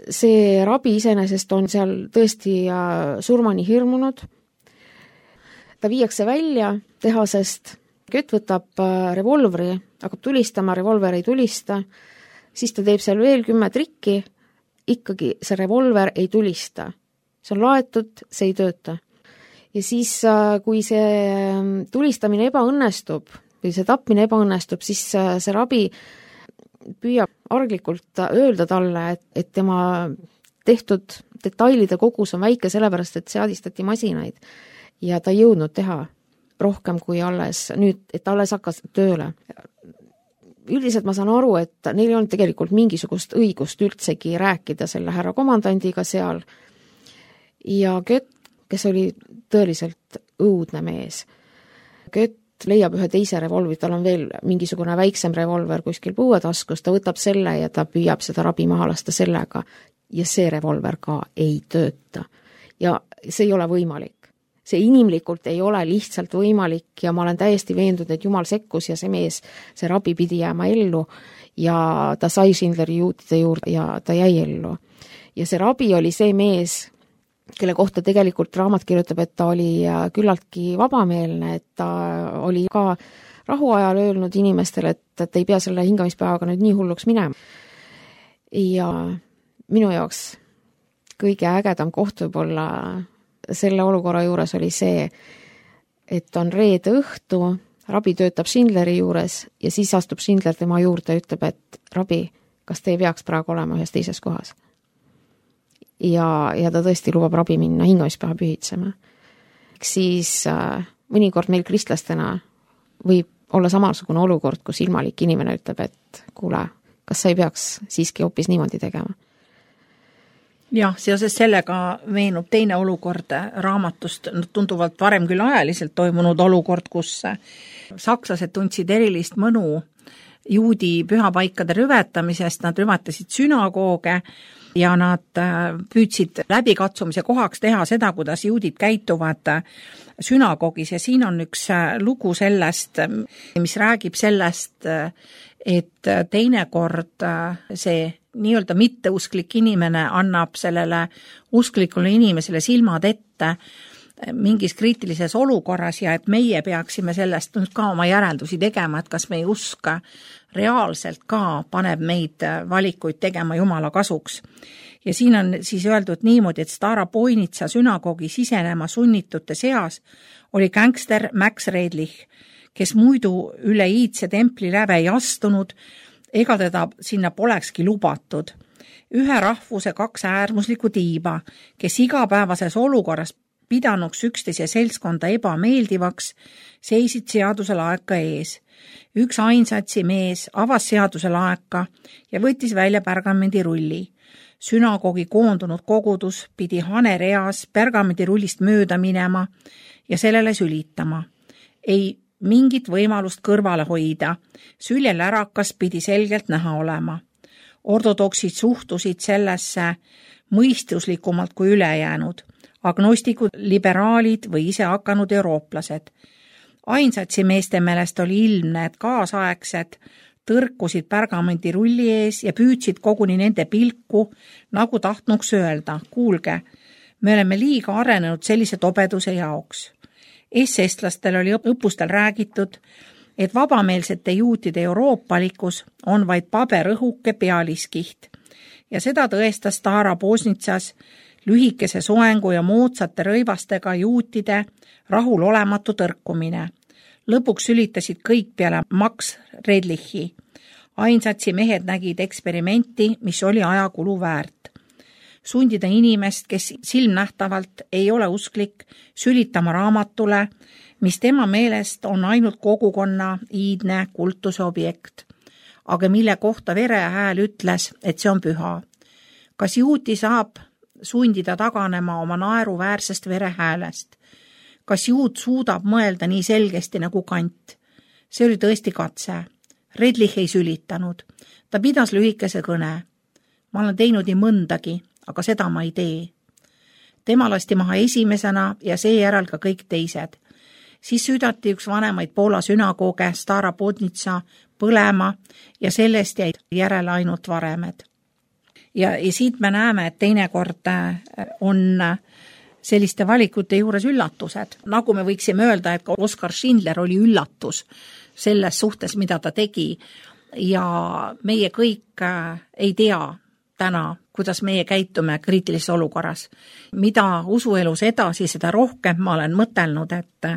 See rabi iseenesest on seal tõesti äh, surmani hirmunud. Ta viiakse välja tehasest, Kött võtab revolvri, hakkab tulistama, revolver ei tulista, siis ta teeb seal veel kümme trikki, ikkagi see revolver ei tulista. See on laetud, see ei tööta. Ja siis, kui see tulistamine ebaõnnestub või see tapmine ebaõnnestub, siis see rabi püüab arglikult öelda talle, et, et tema tehtud detailide kogus on väike sellepärast, et seadistati masinaid. Ja ta ei jõudnud teha rohkem kui alles nüüd, et alles hakkas tööle. Üldiselt ma saan aru, et neil ei olnud tegelikult mingisugust õigust üldsegi rääkida selle härra komandandiga seal. Ja Kött, kes oli tõeliselt õudne mees, Kött leiab ühe teise revolvi, tal on veel mingisugune väiksem revolver kuskil põuetaskus, ta võtab selle ja ta püüab seda rabi maha lasta sellega ja see revolver ka ei tööta. Ja see ei ole võimalik. See inimlikult ei ole lihtsalt võimalik ja ma olen täiesti veendunud, et Jumal sekkus ja see mees, see rabi pidi jääma ellu ja ta sai Schindleri juutide juurde ja ta jäi ellu. Ja see rabi oli see mees, kelle kohta tegelikult raamat kirjutab, et ta oli küllaltki vabameelne, et ta oli ka rahuajal öelnud inimestele, et, et ei pea selle hingamispäevaga nüüd nii hulluks minema. Ja minu jaoks kõige ägedam koht võib olla selle olukorra juures oli see, et on reede õhtu, Rabi töötab Schindleri juures ja siis astub Schindler tema juurde ja ütleb, et Rabi, kas te ei peaks praegu olema ühes teises kohas? Ja, ja ta tõesti lubab Rabi minna hingamispäeva pühitsema. Siis äh, mõnikord meil kristlastena võib olla samasugune olukord, kus ilmalik inimene ütleb, et kuule, kas sa ei peaks siiski hoopis niimoodi tegema? Jah, seoses sellega meenub teine olukord raamatust, tunduvalt varem küll ajaliselt toimunud olukord, kus sakslased tundsid erilist mõnu juudi pühapaikade rüvetamisest, nad rüvetasid sünagooge ja nad püüdsid läbikatsumise kohaks teha seda, kuidas juudid käituvad sünagoogis ja siin on üks lugu sellest, mis räägib sellest, et teinekord see nii-öelda mitteusklik inimene annab sellele usklikule inimesele silmad ette mingis kriitilises olukorras ja et meie peaksime sellest nüüd ka oma järeldusi tegema, et kas meie usk reaalselt ka paneb meid valikuid tegema Jumala kasuks. Ja siin on siis öeldud niimoodi, et Staropoinitsa sünagoogi sisenema sunnitute seas oli gängster Max Redlich, kes muidu üle iidse templi läve ei astunud, ega teda sinna polekski lubatud. Ühe rahvuse kaks äärmuslikku tiiba, kes igapäevases olukorras pidanuks üksteise seltskonda ebameeldivaks, seisid seaduse laeka ees. Üks ainsatsi mees avas seaduse laeka ja võttis välja pergamendirulli. Sünagoogi koondunud kogudus pidi hanereas pergamendirullist mööda minema ja sellele sülitama. Ei mingit võimalust kõrvale hoida. Süljel ärakas pidi selgelt näha olema. Ortodoksid suhtusid sellesse mõistuslikumalt kui ülejäänud. Agnostikud, liberaalid või ise hakanud eurooplased. Ainsatsi meeste meelest oli ilmne, et kaasaegsed tõrkusid pergamendirulli ees ja püüdsid koguni nende pilku, nagu tahtnuks öelda, kuulge, me oleme liiga arenenud sellise tobeduse jaoks. S-estlastel oli õppustel räägitud, et vabameelsete juutide euroopalikkus on vaid paberõhuke pealiskiht ja seda tõestas Staropoinitsas lühikese soengu ja moodsate rõivastega juutide rahulolematu tõrkumine. Lõpuks sülitasid kõik peale Max Redlichi. Ainsatsi mehed nägid eksperimenti, mis oli ajakulu väärt. Sundida inimest, kes silmnähtavalt ei ole usklik, sülitama raamatule, mis tema meelest on ainult kogukonna iidne kultuse objekt, aga mille kohta verehääl ütles, et see on püha. Kas juuti saab sundida taganema oma naeruväärsest verehäälest? Kas juut suudab mõelda nii selgesti nagu Kant? See oli tõesti katse. Redlich ei sülitanud. Ta pidas lühikese kõne. Ma olen teinud nii mõndagi, aga seda ma ei tee. Tema lasti maha esimesena ja seejärel ka kõik teised. Siis süüdati üks vanemaid Poola sünagooge Staropoinitsa põlema ja sellest jäid järele ainult varemed. Ja, ja siit me näeme, et teinekord on selliste valikute juures üllatused. Nagu me võiksime öelda, et Oskar Schindler oli üllatus selles suhtes, mida ta tegi ja meie kõik ei tea täna, kuidas meie käitume kriitilises olukorras. Mida usuelus edasi, seda rohkem ma olen mõtelnud, et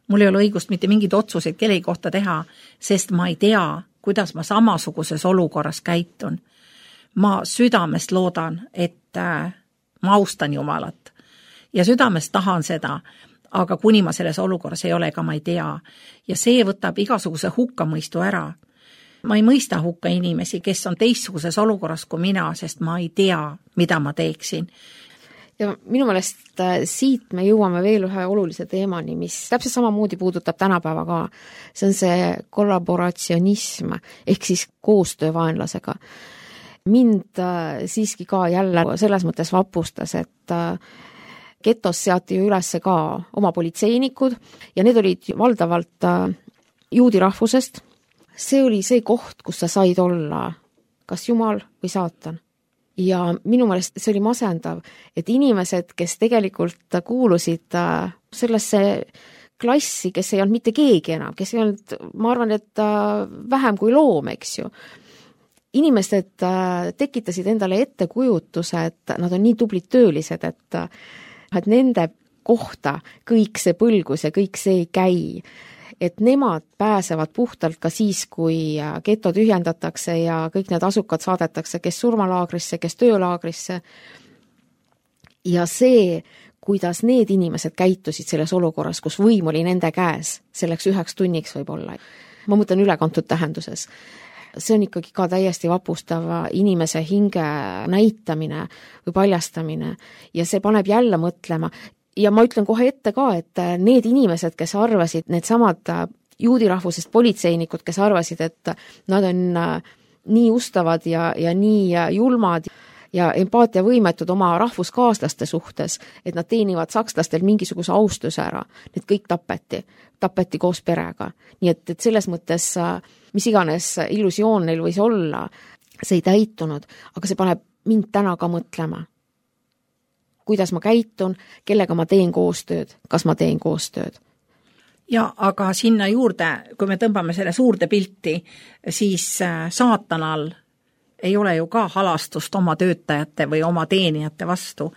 mul ei ole õigust mitte mingid otsuseid kellegi kohta teha, sest ma ei tea, kuidas ma samasuguses olukorras käitun. Ma südamest loodan, et ma austan Jumalat ja südamest tahan seda, aga kuni ma selles olukorras ei ole, ega ma ei tea. Ja see võtab igasuguse hukkamõistu ära. Ma ei mõista hukka inimesi, kes on teistsuguses olukorras kui mina, sest ma ei tea, mida ma teeksin. Ja minu meelest siit me jõuame veel ühe olulise teemani, mis täpselt samamoodi puudutab tänapäeva ka. See on see kollaboratsionism ehk siis koostöö vaenlasega. Mind siiski ka jälle selles mõttes vapustas, et getos seati ju üles ka oma politseinikud ja need olid valdavalt juudi rahvusest. See oli see koht, kus sa said olla kas Jumal või saatan. Ja minu meelest see oli masendav, et inimesed, kes tegelikult kuulusid sellesse klassi, kes ei olnud mitte keegi enam, kes ei olnud, ma arvan, et vähem kui loom, eks ju. Inimesed tekitasid endale ettekujutuse, et nad on nii tublid töölised, et, et nende kohta kõik see põlgus ja kõik see ei käi. Et nemad pääsevad puhtalt ka siis, kui geto tühjendatakse ja kõik need asukad saadetakse, kes surmalaagrisse, kes töölaagrisse. Ja see, kuidas need inimesed käitusid selles olukorras, kus võim oli nende käes, selleks üheks tunniks võib olla. Ma mõtlen ülekantud tähenduses. See on ikkagi ka täiesti vapustav inimese hinge näitamine või paljastamine ja see paneb jälle mõtlema. Ja ma ütlen kohe ette ka, et need inimesed, kes arvasid, need samad juudi rahvusest politseinikud, kes arvasid, et nad on nii ustavad ja, ja nii julmad ja empaatiavõimetud oma rahvuskaaslaste suhtes, et nad teenivad sakslastel mingisuguse austuse ära. Need kõik tapeti, tapeti koos perega. Nii et, et selles mõttes, mis iganes illusioon neil võis olla, see ei täitunud, aga see paneb mind täna ka mõtlema. Kuidas ma käitun, kellega ma teen koostööd, kas ma teen koostööd. Ja aga sinna juurde, kui me tõmbame selle suurde pilti, siis saatanal ei ole ju ka halastust oma töötajate või oma teenijate vastu.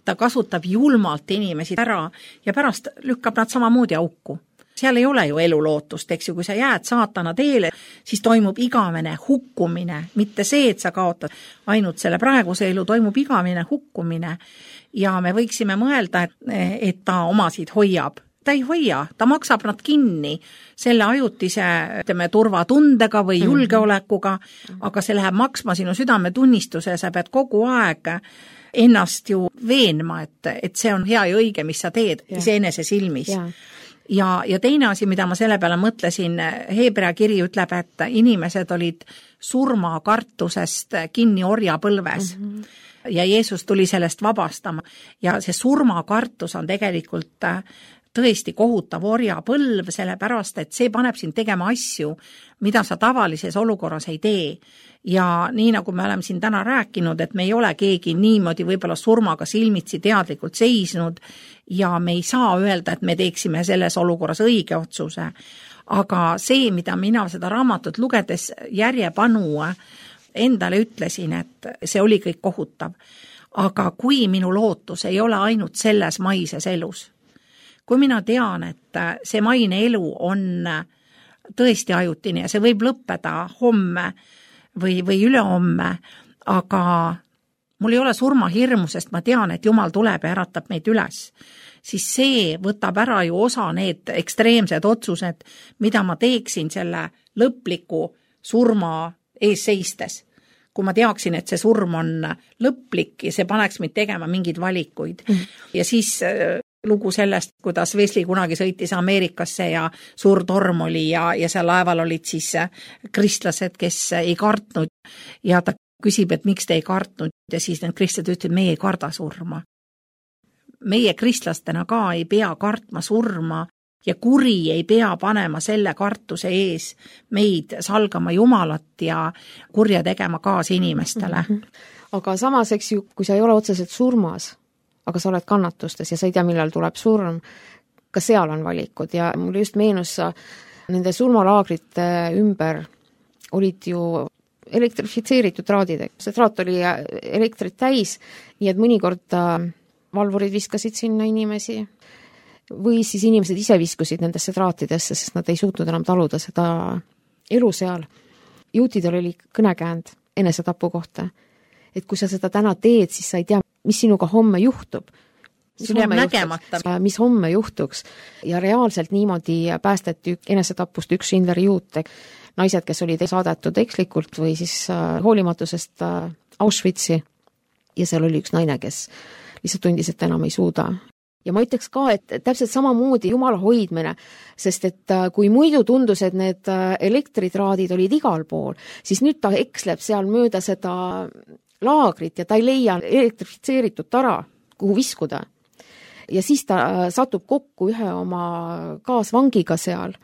Ta kasutab julmalt inimesi ära ja pärast lükkab nad samamoodi auku. Seal ei ole ju elulootust, eks ju, kui sa jääd saatana teele, siis toimub igavene hukkumine, mitte see, et sa kaotad ainult selle praeguse elu, toimub igavene hukkumine ja me võiksime mõelda, et, et ta omasid hoiab. Ta ei hoia, ta maksab nad kinni selle ajutise ütleme, turvatundega või julgeolekuga, aga see läheb maksma sinu südametunnistuse ja sa pead kogu aeg ennast ju veenma, et, et see on hea ja õige, mis sa teed iseenese silmis. Ja. Ja, ja teine asi, mida ma selle peale mõtlesin, Heebrea kiri ütleb, et inimesed olid surmakartusest kinni orjapõlves mm-hmm. ja Jeesus tuli sellest vabastama ja see surmakartus on tegelikult tõesti kohutav orjapõlv, sellepärast, et see paneb sind tegema asju, mida sa tavalises olukorras ei tee. Ja nii nagu me oleme siin täna rääkinud, et me ei ole keegi niimoodi võib-olla surmaga silmitsi teadlikult seisnud ja me ei saa öelda, et me teeksime selles olukorras õige otsuse. Aga see, mida mina seda raamatut lugedes järjepanu endale ütlesin, et see oli kõik kohutav. Aga kui minu lootus ei ole ainult selles maises elus, kui mina tean, et see maine elu on tõesti ajutine ja see võib lõppeda homme või, või ülehomme, aga mul ei ole surmahirmu, sest ma tean, et Jumal tuleb ja äratab meid üles, siis see võtab ära ju osa need ekstreemsed otsused, mida ma teeksin selle lõpliku surma ees seistes. Kui ma teaksin, et see surm on lõplik ja see paneks meid tegema mingeid valikuid. Mm. Ja siis lugu sellest, kuidas Wesley kunagi sõitis Ameerikasse ja suur torm oli ja, ja seal laeval olid siis kristlased, kes ei kartnud ja ta küsib, et miks te ei kartnud ja siis need kristlased ütlesid, meie ei karda surma. Meie kristlastena ka ei pea kartma surma ja kuri ei pea panema selle kartuse ees meid salgama Jumalat ja kurja tegema kaas inimestele. Mm-hmm. Aga samas, eks ju, kui sa ei ole otseselt surmas, aga sa oled kannatustes ja sa ei tea, millal tuleb surm, ka seal on valikud ja mul just meenus nende surmalaagrite ümber olid ju elektrifitseeritud traadid. See traat oli elektrit täis, nii et mõnikord valvurid viskasid sinna inimesi või siis inimesed ise viskusid nendesse traatidesse, sest nad ei suutnud enam taluda seda elu seal. Juutidel oli kõnekäänd enesetapu kohta, et kui sa seda täna teed, siis sa ei tea, mis sinuga homme juhtub. Mis homme, juhtuks, mis homme juhtuks. Ja reaalselt niimoodi päästeti enesetapust üks Schindleri juut, naised, kes olid saadetud ekslikult või siis hoolimatusest Auschwitzi ja seal oli üks naine, kes lihtsalt tundis, et enam ei suuda. Ja ma ütleks ka, et täpselt samamoodi Jumala hoidmine, sest et kui muidu tundus, et need elektritraadid olid igal pool, siis nüüd ta eksleb seal mööda seda laagrit ja ta ei leia elektrifitseeritud tara, kuhu viskuda. Ja siis ta satub kokku ühe oma kaasvangiga seal,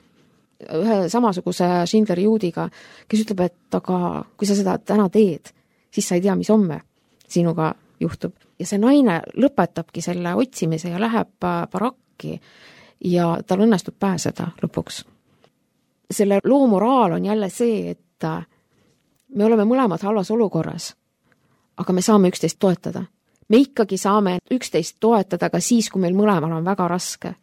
ühe samasuguse Schindleri juudiga, kes ütleb, et aga kui sa seda täna teed, siis sa ei tea, mis homme sinuga juhtub. Ja see naine lõpetabki selle otsimise ja läheb barakki ja tal õnnestub pääseda lõpuks. Selle loo moraal on jälle see, et me oleme mõlemad halvas olukorras, aga me saame üksteist toetada. me ikkagi saame üksteist toetada ka siis, kui meil mõlemal on väga raske.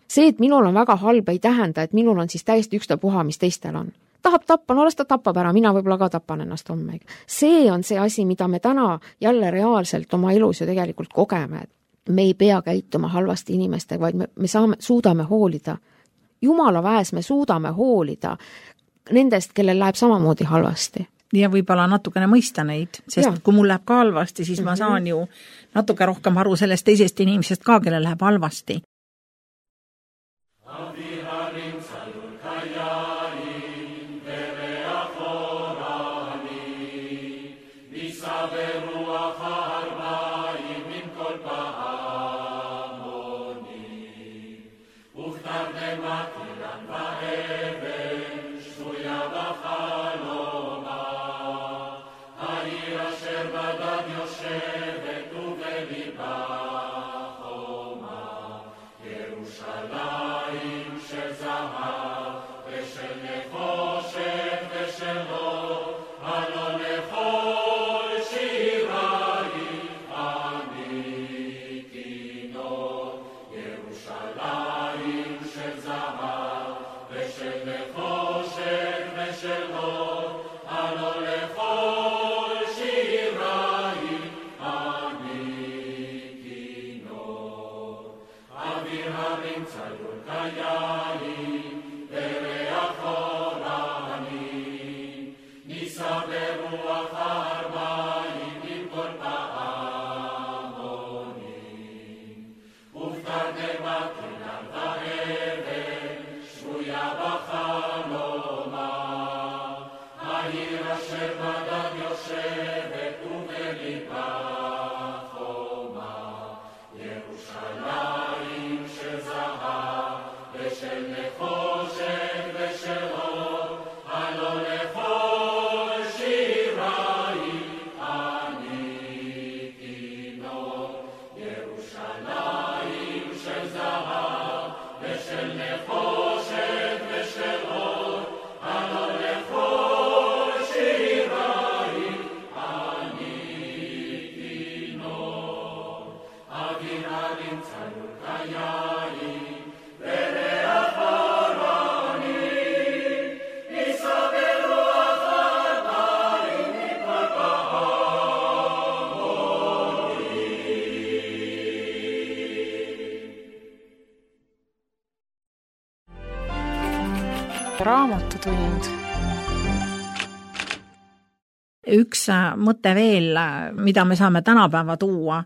See, et minul on väga halb, ei tähenda, et minul on siis täiesti ükstapuha, mis teistel on. Tahab tappa, no las ta tapab ära, mina võib-olla ka tapan ennast homme. See on see asi, mida me täna jälle reaalselt oma elus ju tegelikult kogeme. Me ei pea käituma halvasti inimestega, vaid me, me saame, suudame hoolida. Jumala väes me suudame hoolida nendest, kellel läheb samamoodi halvasti. Ja võib-olla natukene mõista neid, sest ja. Kui mul läheb ka halvasti, siis mm-hmm. ma saan ju natuke rohkem aru sellest teisest inimesest ka, kellel läheb halvasti. Raamatutund. Üks mõte veel, mida me saame tänapäeva tuua,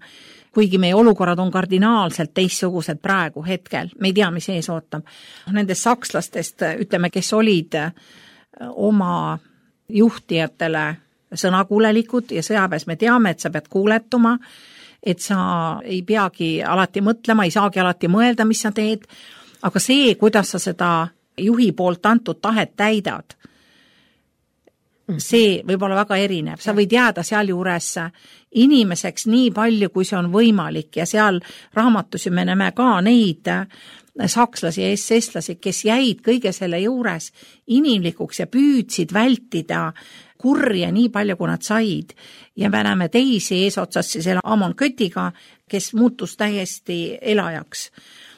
kuigi meie olukorrad on kardinaalselt teistsugused praegu hetkel, me ei tea, mis ees ootab. Nendest sakslastest, ütleme, kes olid oma juhtijatele sõnakuulelikud ja sõjaväes me teame, et sa pead kuuletuma, et sa ei peagi alati mõtlema, ei saagi alati mõelda, mis sa teed, aga see, kuidas sa seda juhi poolt antud tahet täidad, see võib olla väga erinev. Sa võid jääda seal juures inimeseks nii palju, kui see on võimalik ja seal raamatus me näeme ka neid sakslasi ja S S-lasi, kes jäid kõige selle juures inimlikuks ja püüdsid vältida kurja nii palju, kui nad said. Ja me näeme teisi eesotsas selle Amon Kötiga, kes muutus täiesti elajaks.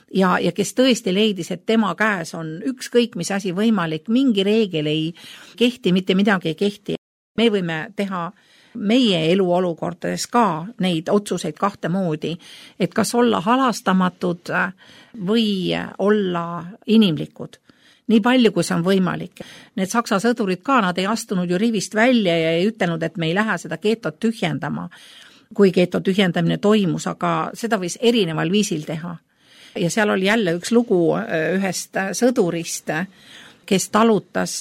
Ja, ja kes tõesti leidis, et tema käes on ükskõik mis asi võimalik, mingi reegel ei kehti, mitte midagi ei kehti. Me võime teha meie eluolukordades ka neid otsuseid kahte moodi, et kas olla halastamatud või olla inimlikud. Nii palju, kui see on võimalik. Need saksa sõdurid ka, nad ei astunud ju rivist välja ja ei ütelnud, et me ei lähe seda geetot tühjendama, kui geeto tühjendamine toimus, aga seda võis erineval viisil teha. Ja seal oli jälle üks lugu ühest sõdurist, kes talutas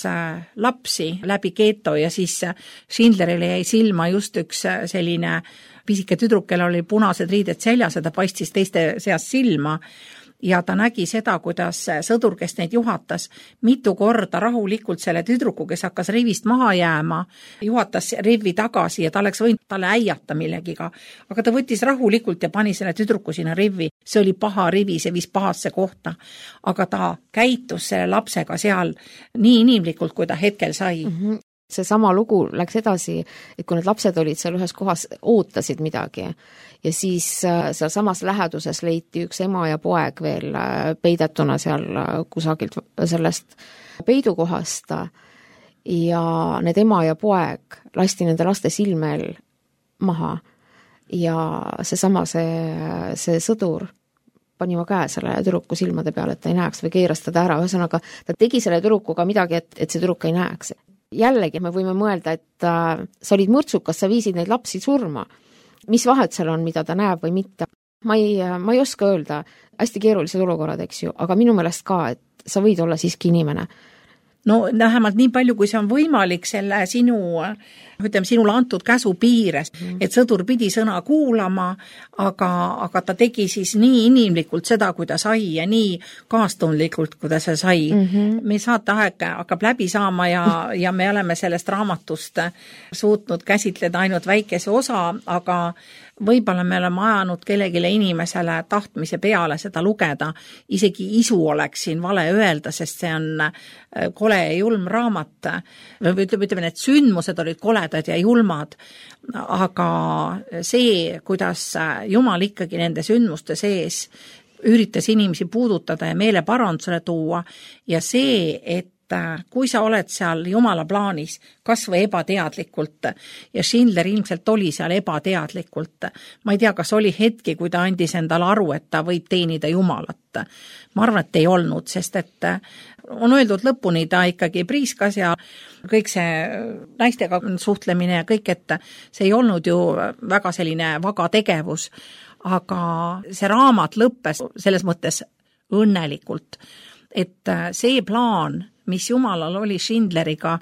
lapsi läbi geeto ja siis Schindlerile jäi silma just üks selline pisike tüdruk, kellel oli punased riided seljas ja ta paistis teiste seas silma. Ja ta nägi seda, kuidas sõdur, kes neid juhatas, mitu korda rahulikult selle tüdruku, kes hakkas rivist maha jääma, juhatas rivi tagasi ja ta oleks võinud talle äiata millegiga. Aga ta võttis rahulikult ja pani selle tüdruku sinna rivi. See oli paha rivi, see viis pahasse kohta. Aga ta käitus selle lapsega seal nii inimlikult, kui ta hetkel sai. Mm-hmm. see sama lugu läks edasi, et kui need lapsed olid seal ühes kohas, ootasid midagi ja siis seal samas läheduses leiti üks ema ja poeg veel peidetuna seal kusagilt sellest peidukohast ja need ema ja poeg lasti nende laste silmel maha ja seesama see, see sõdur pani oma käe selle tüdruku silmade peale, et ta ei näeks või keeras teda ära, ühesõnaga ta tegi selle tüdrukuga midagi, et, et see tüdruk ei näeks. Jällegi me võime mõelda, et äh, sa olid mõrtsukas, sa viisid neid lapsi surma. Mis vahet seal on, mida ta näeb või mitte? Ma ei, ma ei oska öelda, hästi keerulised olukorrad, eks ju, aga minu meelest ka, et sa võid olla siiski inimene. No vähemalt nii palju, kui see on võimalik selle sinu, ütleme, sinule antud käsu piires, mm. et sõdur pidi sõna kuulama, aga, aga ta tegi siis nii inimlikult seda, kui ta sai ja nii kaastundlikult, kui ta see sai. Mm-hmm. Me saateaeg hakkab läbi saama ja, ja me oleme sellest raamatust suutnud käsitleda ainult väikese osa, aga võib-olla me oleme ajanud kellegile inimesele tahtmise peale seda lugeda, isegi isu oleks siin vale öelda, sest see on kole ja julm raamat. Ütleme, ütleme, need sündmused olid koledad ja julmad, aga see, kuidas Jumal ikkagi nende sündmuste sees üritas inimesi puudutada ja meele parandusele tuua ja see, et kui sa oled seal Jumala plaanis, kas või ebateadlikult, ja Schindler ilmselt oli seal ebateadlikult. Ma ei tea, kas oli hetki, kui ta andis endale aru, et ta võib teenida Jumalat. Ma arvan, et ei olnud, sest et on öeldud lõpuni, ta ikkagi priiskas ja kõik see naistega suhtlemine ja kõik, et see ei olnud ju väga selline vaga tegevus, aga see raamat lõppes selles mõttes õnnelikult, et see plaan, mis Jumalal oli Schindleriga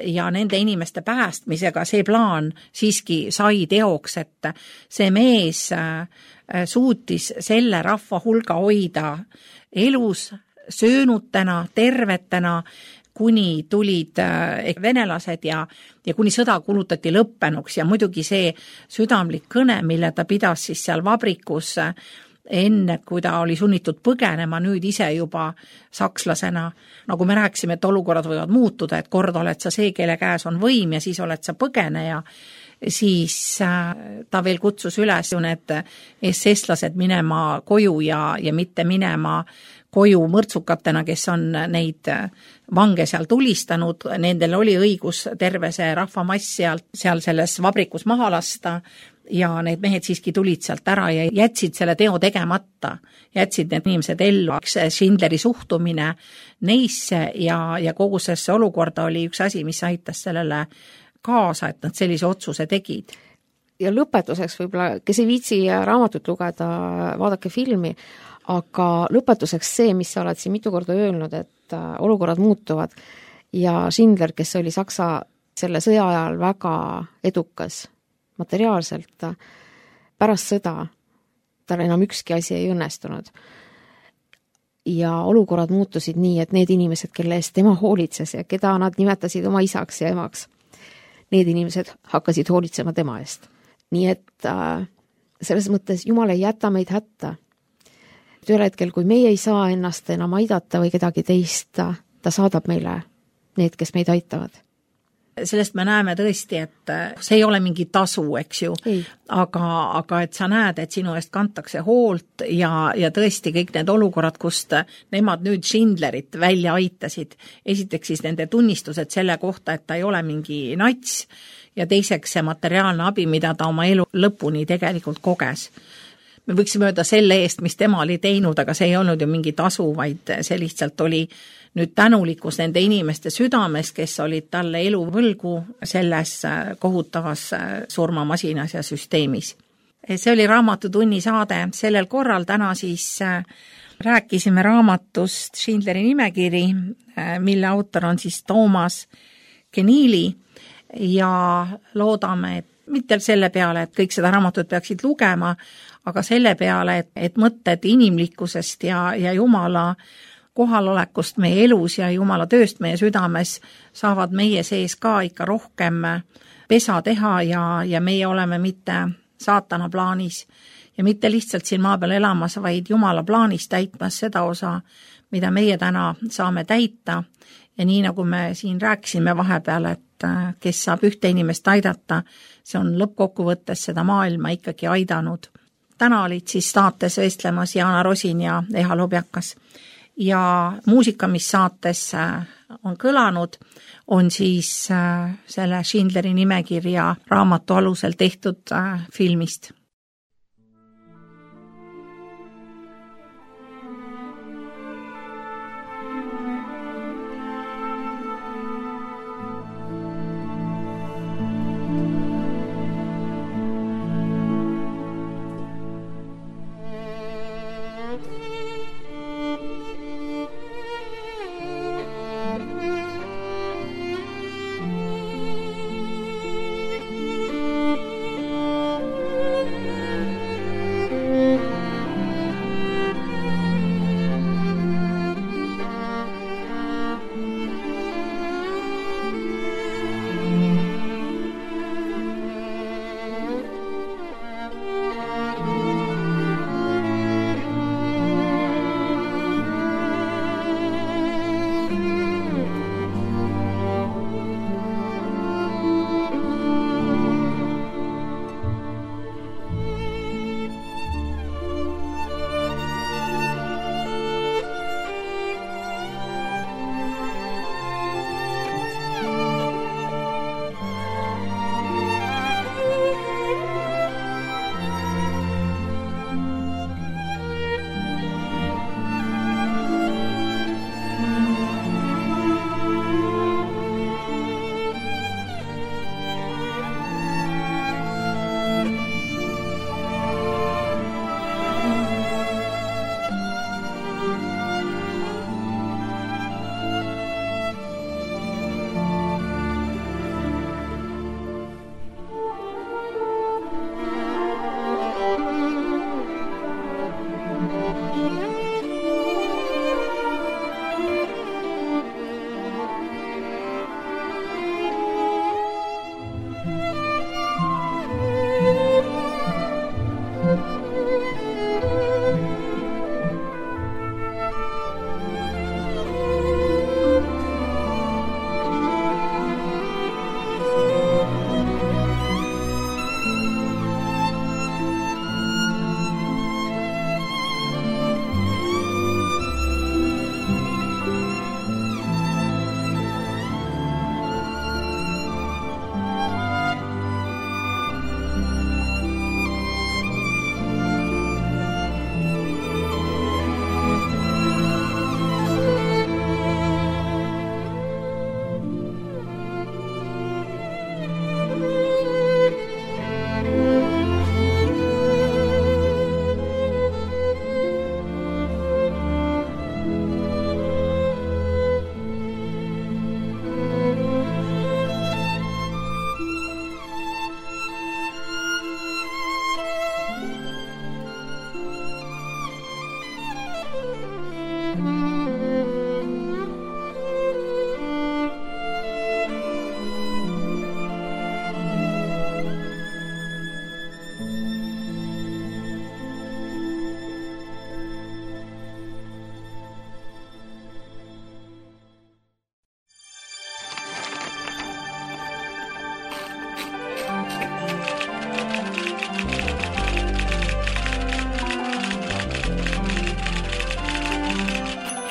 ja nende inimeste päästmisega, see plaan siiski sai teoks, et see mees suutis selle rahva hulga hoida elus, söönutena, tervetena, kuni tulid venelased ja, ja kuni sõda kulutati lõppenuks ja muidugi see südamlik kõne, mille ta pidas siis seal vabrikus enne, kui ta oli sunnitud põgenema, nüüd ise juba sakslasena. Nagu me rääkisime, et olukorrad võivad muutuda, et kord oled sa see, kelle käes on võim ja siis oled sa põgeneja, siis ta veel kutsus üles ju need S S-lased minema koju ja, ja mitte minema koju mõrtsukatena, kes on neid vange seal tulistanud. Nendel oli õigus terve see rahvamass seal, seal selles vabrikus maha lasta ja need mehed siiski tulid sealt ära ja jätsid selle teo tegemata, jätsid need inimesed ellu. Schindleri suhtumine neisse ja, ja kogu sellesse olukorda oli üks asi, mis aitas sellele kaasa, et nad sellise otsuse tegid. Ja lõpetuseks võib-olla, kes ei viitsi raamatut lugeda, vaadake filmi, aga lõpetuseks see, mis sa oled siin mitu korda öelnud, et olukorrad muutuvad ja Schindler, kes oli Saksa selle sõja ajal väga edukas materiaalselt, pärast sõda tal enam ükski asi ei õnnestunud. Ja olukorrad muutusid nii, et need inimesed, kelle eest tema hoolitses ja keda nad nimetasid oma isaks ja emaks, need inimesed hakkasid hoolitsema tema eest. Nii et äh, selles mõttes Jumal ei jäta meid hätta. Ühel hetkel, kui meie ei saa ennast enam aidata või kedagi teist, ta saadab meile need, kes meid aitavad. Sellest me näeme tõesti, et see ei ole mingi tasu, eks ju, aga, aga et sa näed, et sinu eest kantakse hoolt ja, ja tõesti kõik need olukorrad, kust nemad nüüd Schindlerit välja aitasid. Esiteks siis nende tunnistused selle kohta, et ta ei ole mingi nats ja teiseks see materiaalne abi, mida ta oma elu lõpuni tegelikult koges. Me võiksime öelda selle eest, mis tema oli teinud, aga see ei olnud ju mingi tasu, vaid see lihtsalt oli nüüd tänulikkus nende inimeste südames, kes olid talle elu võlgu selles kohutavas surmamasinas ja süsteemis. See oli Raamatutunni saade. Sellel korral täna siis rääkisime raamatust Schindleri nimekiri, mille autor on siis Toomas Keneally ja loodame, et mitte selle peale, et kõik seda raamatut peaksid lugema, aga selle peale, et, et mõtted inimlikkusest ja, ja Jumala kohalolekust meie elus ja Jumala tööst meie südames saavad meie sees ka ikka rohkem pesa teha ja, ja meie oleme mitte saatana plaanis ja mitte lihtsalt siin maa peal elamas, vaid Jumala plaanis täitmas seda osa, mida meie täna saame täita. Ja nii nagu me siin rääkisime vahepeal, et kes saab ühte inimest aidata, see on lõppkokkuvõttes seda maailma ikkagi aidanud. Täna olid siis saates vestlemas Jaana Rosin ja Eha Lobjakas ja muusika, mis saates on kõlanud, on siis selle Schindleri nimekirja raamatu alusel tehtud filmist.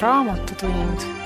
Raamatutund